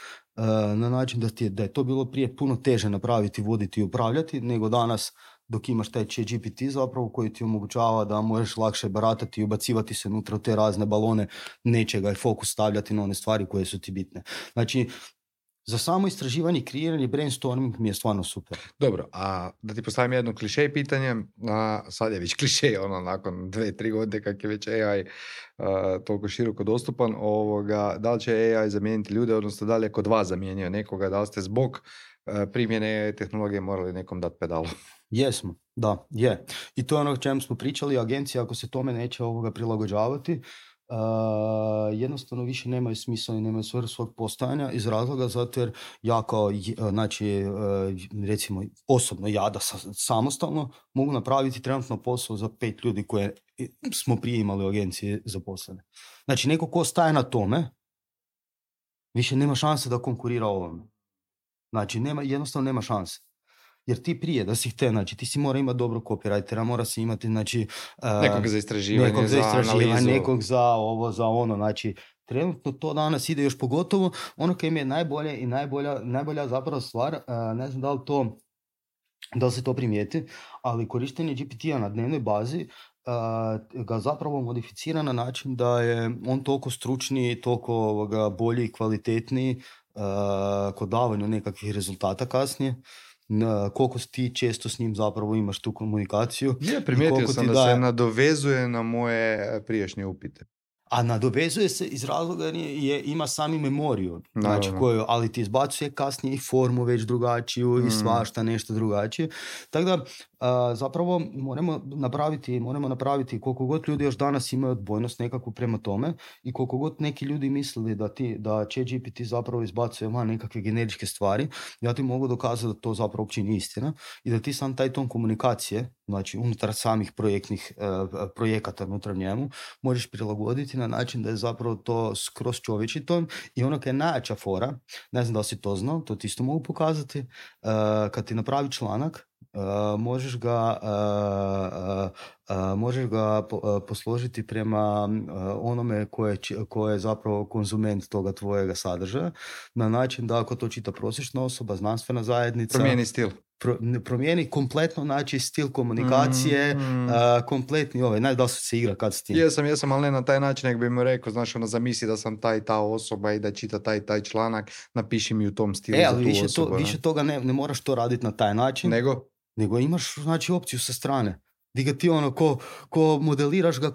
[SPEAKER 2] na način da je to bilo prije puno teže napraviti, voditi i upravljati, nego danas dok imaš taj ChatGPT zapravo koji ti omogućava da možeš lakše baratati i ubacivati se unutra u te razne balone nečega i fokus stavljati na one stvari koje su ti bitne. Znači, za samo istraživanje i kreiranje brainstorming mi je stvarno super.
[SPEAKER 1] Dobro, a da ti postavim jedno klišej pitanje, sad je već klišej, nakon 2-3 godine kak je već AI toliko široko dostupan, da li će AI zamijeniti ljude, odnosno da li je kod vas zamijenio nekoga, da li ste zbog primjene tehnologije morali nekom dati pedalu?
[SPEAKER 2] Jesmo, da, je. I to je ono o čemu smo pričali, agencije ako se tome neće prilagođavati, jednostavno više nemaju smisla i nemaju svrhu svog postojanja iz razloga zato jer ja kao, znači, recimo osobno ja da samostalno mogu napraviti trenutno posao za 5 ljudi koje smo prije imali u agenciji zaposlene. Znači neko ko staje na tome više nema šanse da konkurira ovome. Znači jednostavno nema šanse. Jer ti prije da si htio, znači ti si mora imati dobro copywritera, mora si imati znači,
[SPEAKER 1] nekog za istraživanje, za analizu.
[SPEAKER 2] Nekog za ovo, za ono, znači trenutno to danas ide još pogotovo, ono kaj mi je najbolje i najbolja zapravo stvar, ne znam da li se to primijeti, ali korištenje GPT-a na dnevnoj bazi ga zapravo modificira na način da je on toliko stručniji, toliko bolji i kvalitetniji kod davanju nekakvih rezultata kasnije. Koliko ti često s njim zapravo imaš tu komunikaciju.
[SPEAKER 1] Primijetio sam da se nadovezuje na moje prijašnje upite.
[SPEAKER 2] A nadovezuje se iz razloga ima sami memoriju, znači ali ti izbacuje kasnije i formu već drugačiju i svašta nešto drugačije. Tako da zapravo moramo napraviti koliko god ljudi još danas imaju odbojnost nekakvu prema tome i koliko god neki ljudi mislili da ChatGPT zapravo izbacuje van nekakve generičke stvari, ja ti mogu dokazati da to zapravo uopće nije istina i da ti sam taj ton komunikacije, znači unutar samih projekata unutar njemu, možeš prilagoditi na način da je zapravo to skroz čovječji ton i ono kad je najjača fora, ne znam da li si to znao, to ti isto mogu pokazati, kad ti napravi članak, možeš ga posložiti prema onome ko je zapravo konzument toga tvojega sadržaja, na način da ako to čita prosječna osoba, znanstvena zajednica,
[SPEAKER 1] promijeni stil.
[SPEAKER 2] Promijeni kompletno znači stil komunikacije, kompletni ne znam da su se igra kad s tim.
[SPEAKER 1] Jesam, ali ne na taj način, nego bi mu rekao, znaš, zamisli da sam ta osoba i da čita taj članak, napiši mi u tom stilu za tu osobu.
[SPEAKER 2] Više toga ne moraš to raditi na taj način. Nego imaš, znači, opciju sa strane. Di ga ti ono, ko modeliraš ga,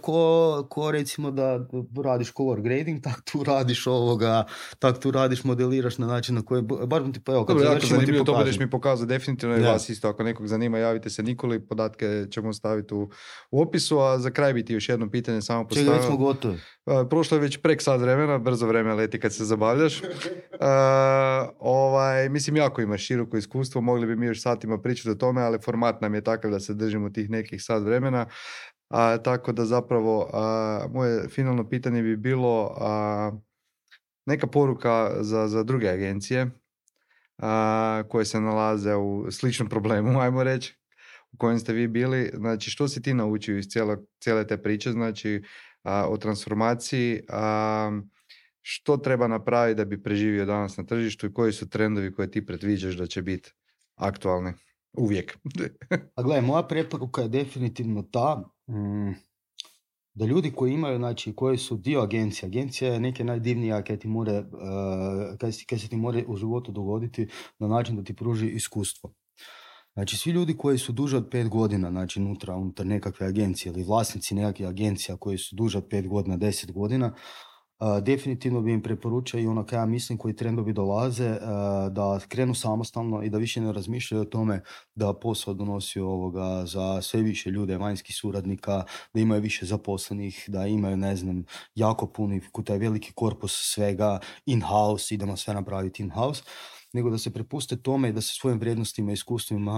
[SPEAKER 2] ko recimo da radiš color grading, tak tu radiš, modeliraš na način na koji, bar ti pa evo, kad
[SPEAKER 1] Dobro, jako
[SPEAKER 2] završimo ti
[SPEAKER 1] zanimljivo, to budeš
[SPEAKER 2] pokažem.
[SPEAKER 1] mi pokazao definitivno i vas isto, ako nekog zanima, javite se Nikoli, podatke ćemo staviti u opisu, a za kraj bi ti još jedno pitanje samo postavio.
[SPEAKER 2] Čega, već smo gotovi.
[SPEAKER 1] Prošlo je već prek sat vremena, brzo vreme leti kad se zabavljaš. Mislim, jako imaš široko iskustvo, mogli bi mi još satima pričati o tome, ali format nam je takav da se držimo tih nekih sat vremena. Tako da zapravo moje finalno pitanje bi bilo neka poruka za druge agencije koje se nalaze u sličnom problemu, ajmo reći, u kojem ste vi bili. Znači, što si ti naučio iz cijele te priče, znači, o transformaciji, što treba napraviti da bi preživio danas na tržištu i koji su trendovi koje ti predviđaš da će biti aktualni uvijek?
[SPEAKER 2] A gledaj, moja preporuka je definitivno ta da ljudi koji imaju, znači, koji su dio agencija je neke najdivnija kaj se ti more u životu dogoditi na način da ti pruži iskustvo. Znači, svi ljudi koji su duže od 5 godina, znači unutar nekakve agencije ili vlasnici nekakve agencija koji su duže od 5 godina, 10 godina, definitivno bi im preporučio i ono kaj ja mislim koji trendovi dolaze, da krenu samostalno i da više ne razmišljaju o tome da posao donosi za sve više ljude, vanjskih suradnika, da imaju više zaposlenih, da imaju, ne znam, jako puni, taj veliki korpus svega in-house, idemo sve napraviti in-house, nego da se prepuste tome i da se svojim vrijednostima i iskustvima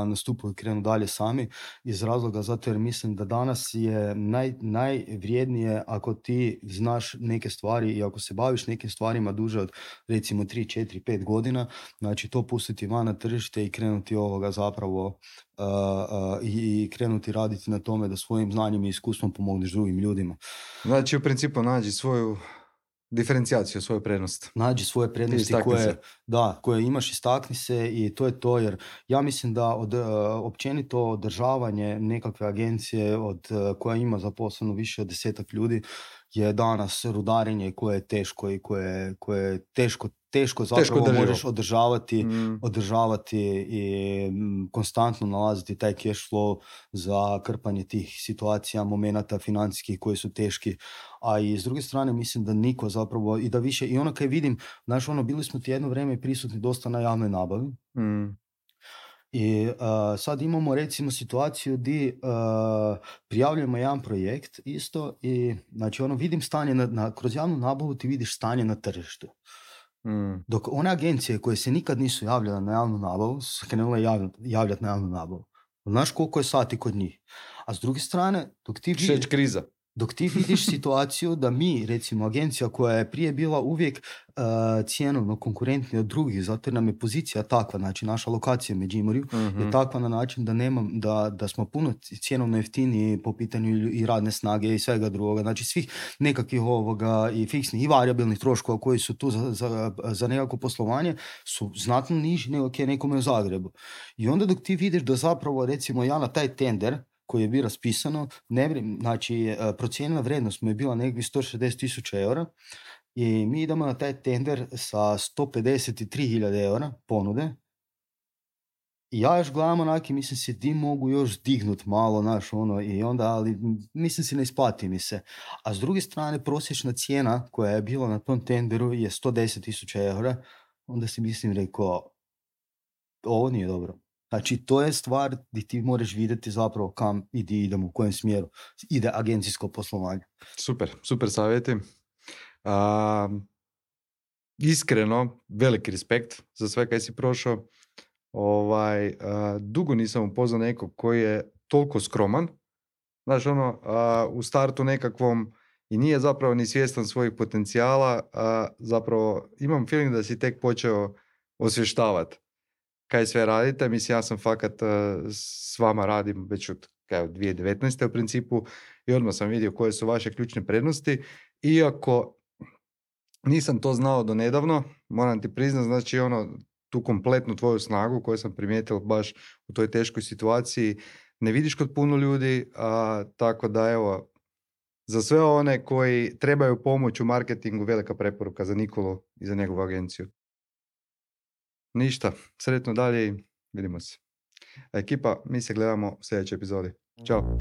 [SPEAKER 2] nastupaju i krenu dalje sami, iz razloga zato jer mislim da danas je najvrijednije ako ti znaš neke stvari i ako se baviš nekim stvarima duže od recimo 3, 4, 5 godina, znači to pustiti van na tržište i krenuti zapravo i krenuti raditi na tome da svojim znanjem i iskustvom pomogneš drugim ljudima.
[SPEAKER 1] Znači, u principu nađi svoju diferencijaciju, svoju prednost.
[SPEAKER 2] Nađi svoje prednosti koje imaš, istakni se i to je to, jer ja mislim da općenito održavanje nekakve agencije koja ima zaposleno više od 10 ljudi je danas rudarenje koje je teško i koje je teško zapravo možeš održavati i konstantno nalaziti taj cash flow za krpanje tih situacija, momenata financijskih koji su teški. A i s druge strane mislim da niko zapravo i da više, i ono kaj vidim, znaš, bili smo ti jedno vrijeme prisutni dosta na javnoj nabavi. I sad imamo recimo situaciju gdje prijavljujemo jedan projekt isto i znači vidim stanje kroz javnu nabavu ti vidiš stanje na tržištu. Dok one agencije koje se nikad nisu javljale na javnu nabavu su krenule javljati na javnu nabavu. Znaš koliko je sati kod njih. A s druge strane, dok ti vidiš situaciju da mi, recimo agencija koja je prije bila uvijek cjenovno konkurentnija od drugih, zato jer nam je pozicija takva, znači naša lokacija u Međimurju je takva na način da smo puno cjenovno jeftiniji po pitanju i radne snage i svega drugoga, znači svih nekakvih i fiksnih i variabilnih troškova koji su tu za nekako poslovanje su znatno niži nego nekome u Zagrebu. I onda dok ti vidiš da zapravo recimo ja na taj tender koji je bio raspisano, znači procijenjena vrijednost mu je bila nekih 160.000 eura i mi idemo na taj tender sa 153.000 eura ponude i ja još gledam onaki, mislim si di mogu još dignut malo i onda, ali mislim si ne isplati mi se. A s druge strane prosječna cijena koja je bila na tom tenderu je 110.000 eura, onda si mislim rekao ovo nije dobro. Znači, to je stvar gdje ti moraš vidjeti zapravo kam i gdje idemo, u kojem smjeru ide agencijsko poslovanje.
[SPEAKER 1] Super savjeti. Iskreno, veliki respekt za sve kaj si prošao. Dugo nisam upoznao nekog koji je toliko skroman. Znaš, u startu nekakvom i nije zapravo ni svjestan svojih potencijala. Zapravo imam feeling da si tek počeo osvještavati kaj sve radite. Mislim, ja sam fakat s vama radim već od 2019. u principu i odmah sam vidio koje su vaše ključne prednosti. Iako nisam to znao do nedavno, moram ti priznati, znači tu kompletnu tvoju snagu koju sam primijetio baš u toj teškoj situaciji ne vidiš kod puno ljudi, tako da evo, za sve one koji trebaju pomoć u marketingu, velika preporuka za Nikolu i za njegovu agenciju. Ništa, sretno dalje i vidimo se. Ekipa, mi se gledamo u sljedećoj epizodi. Ćao.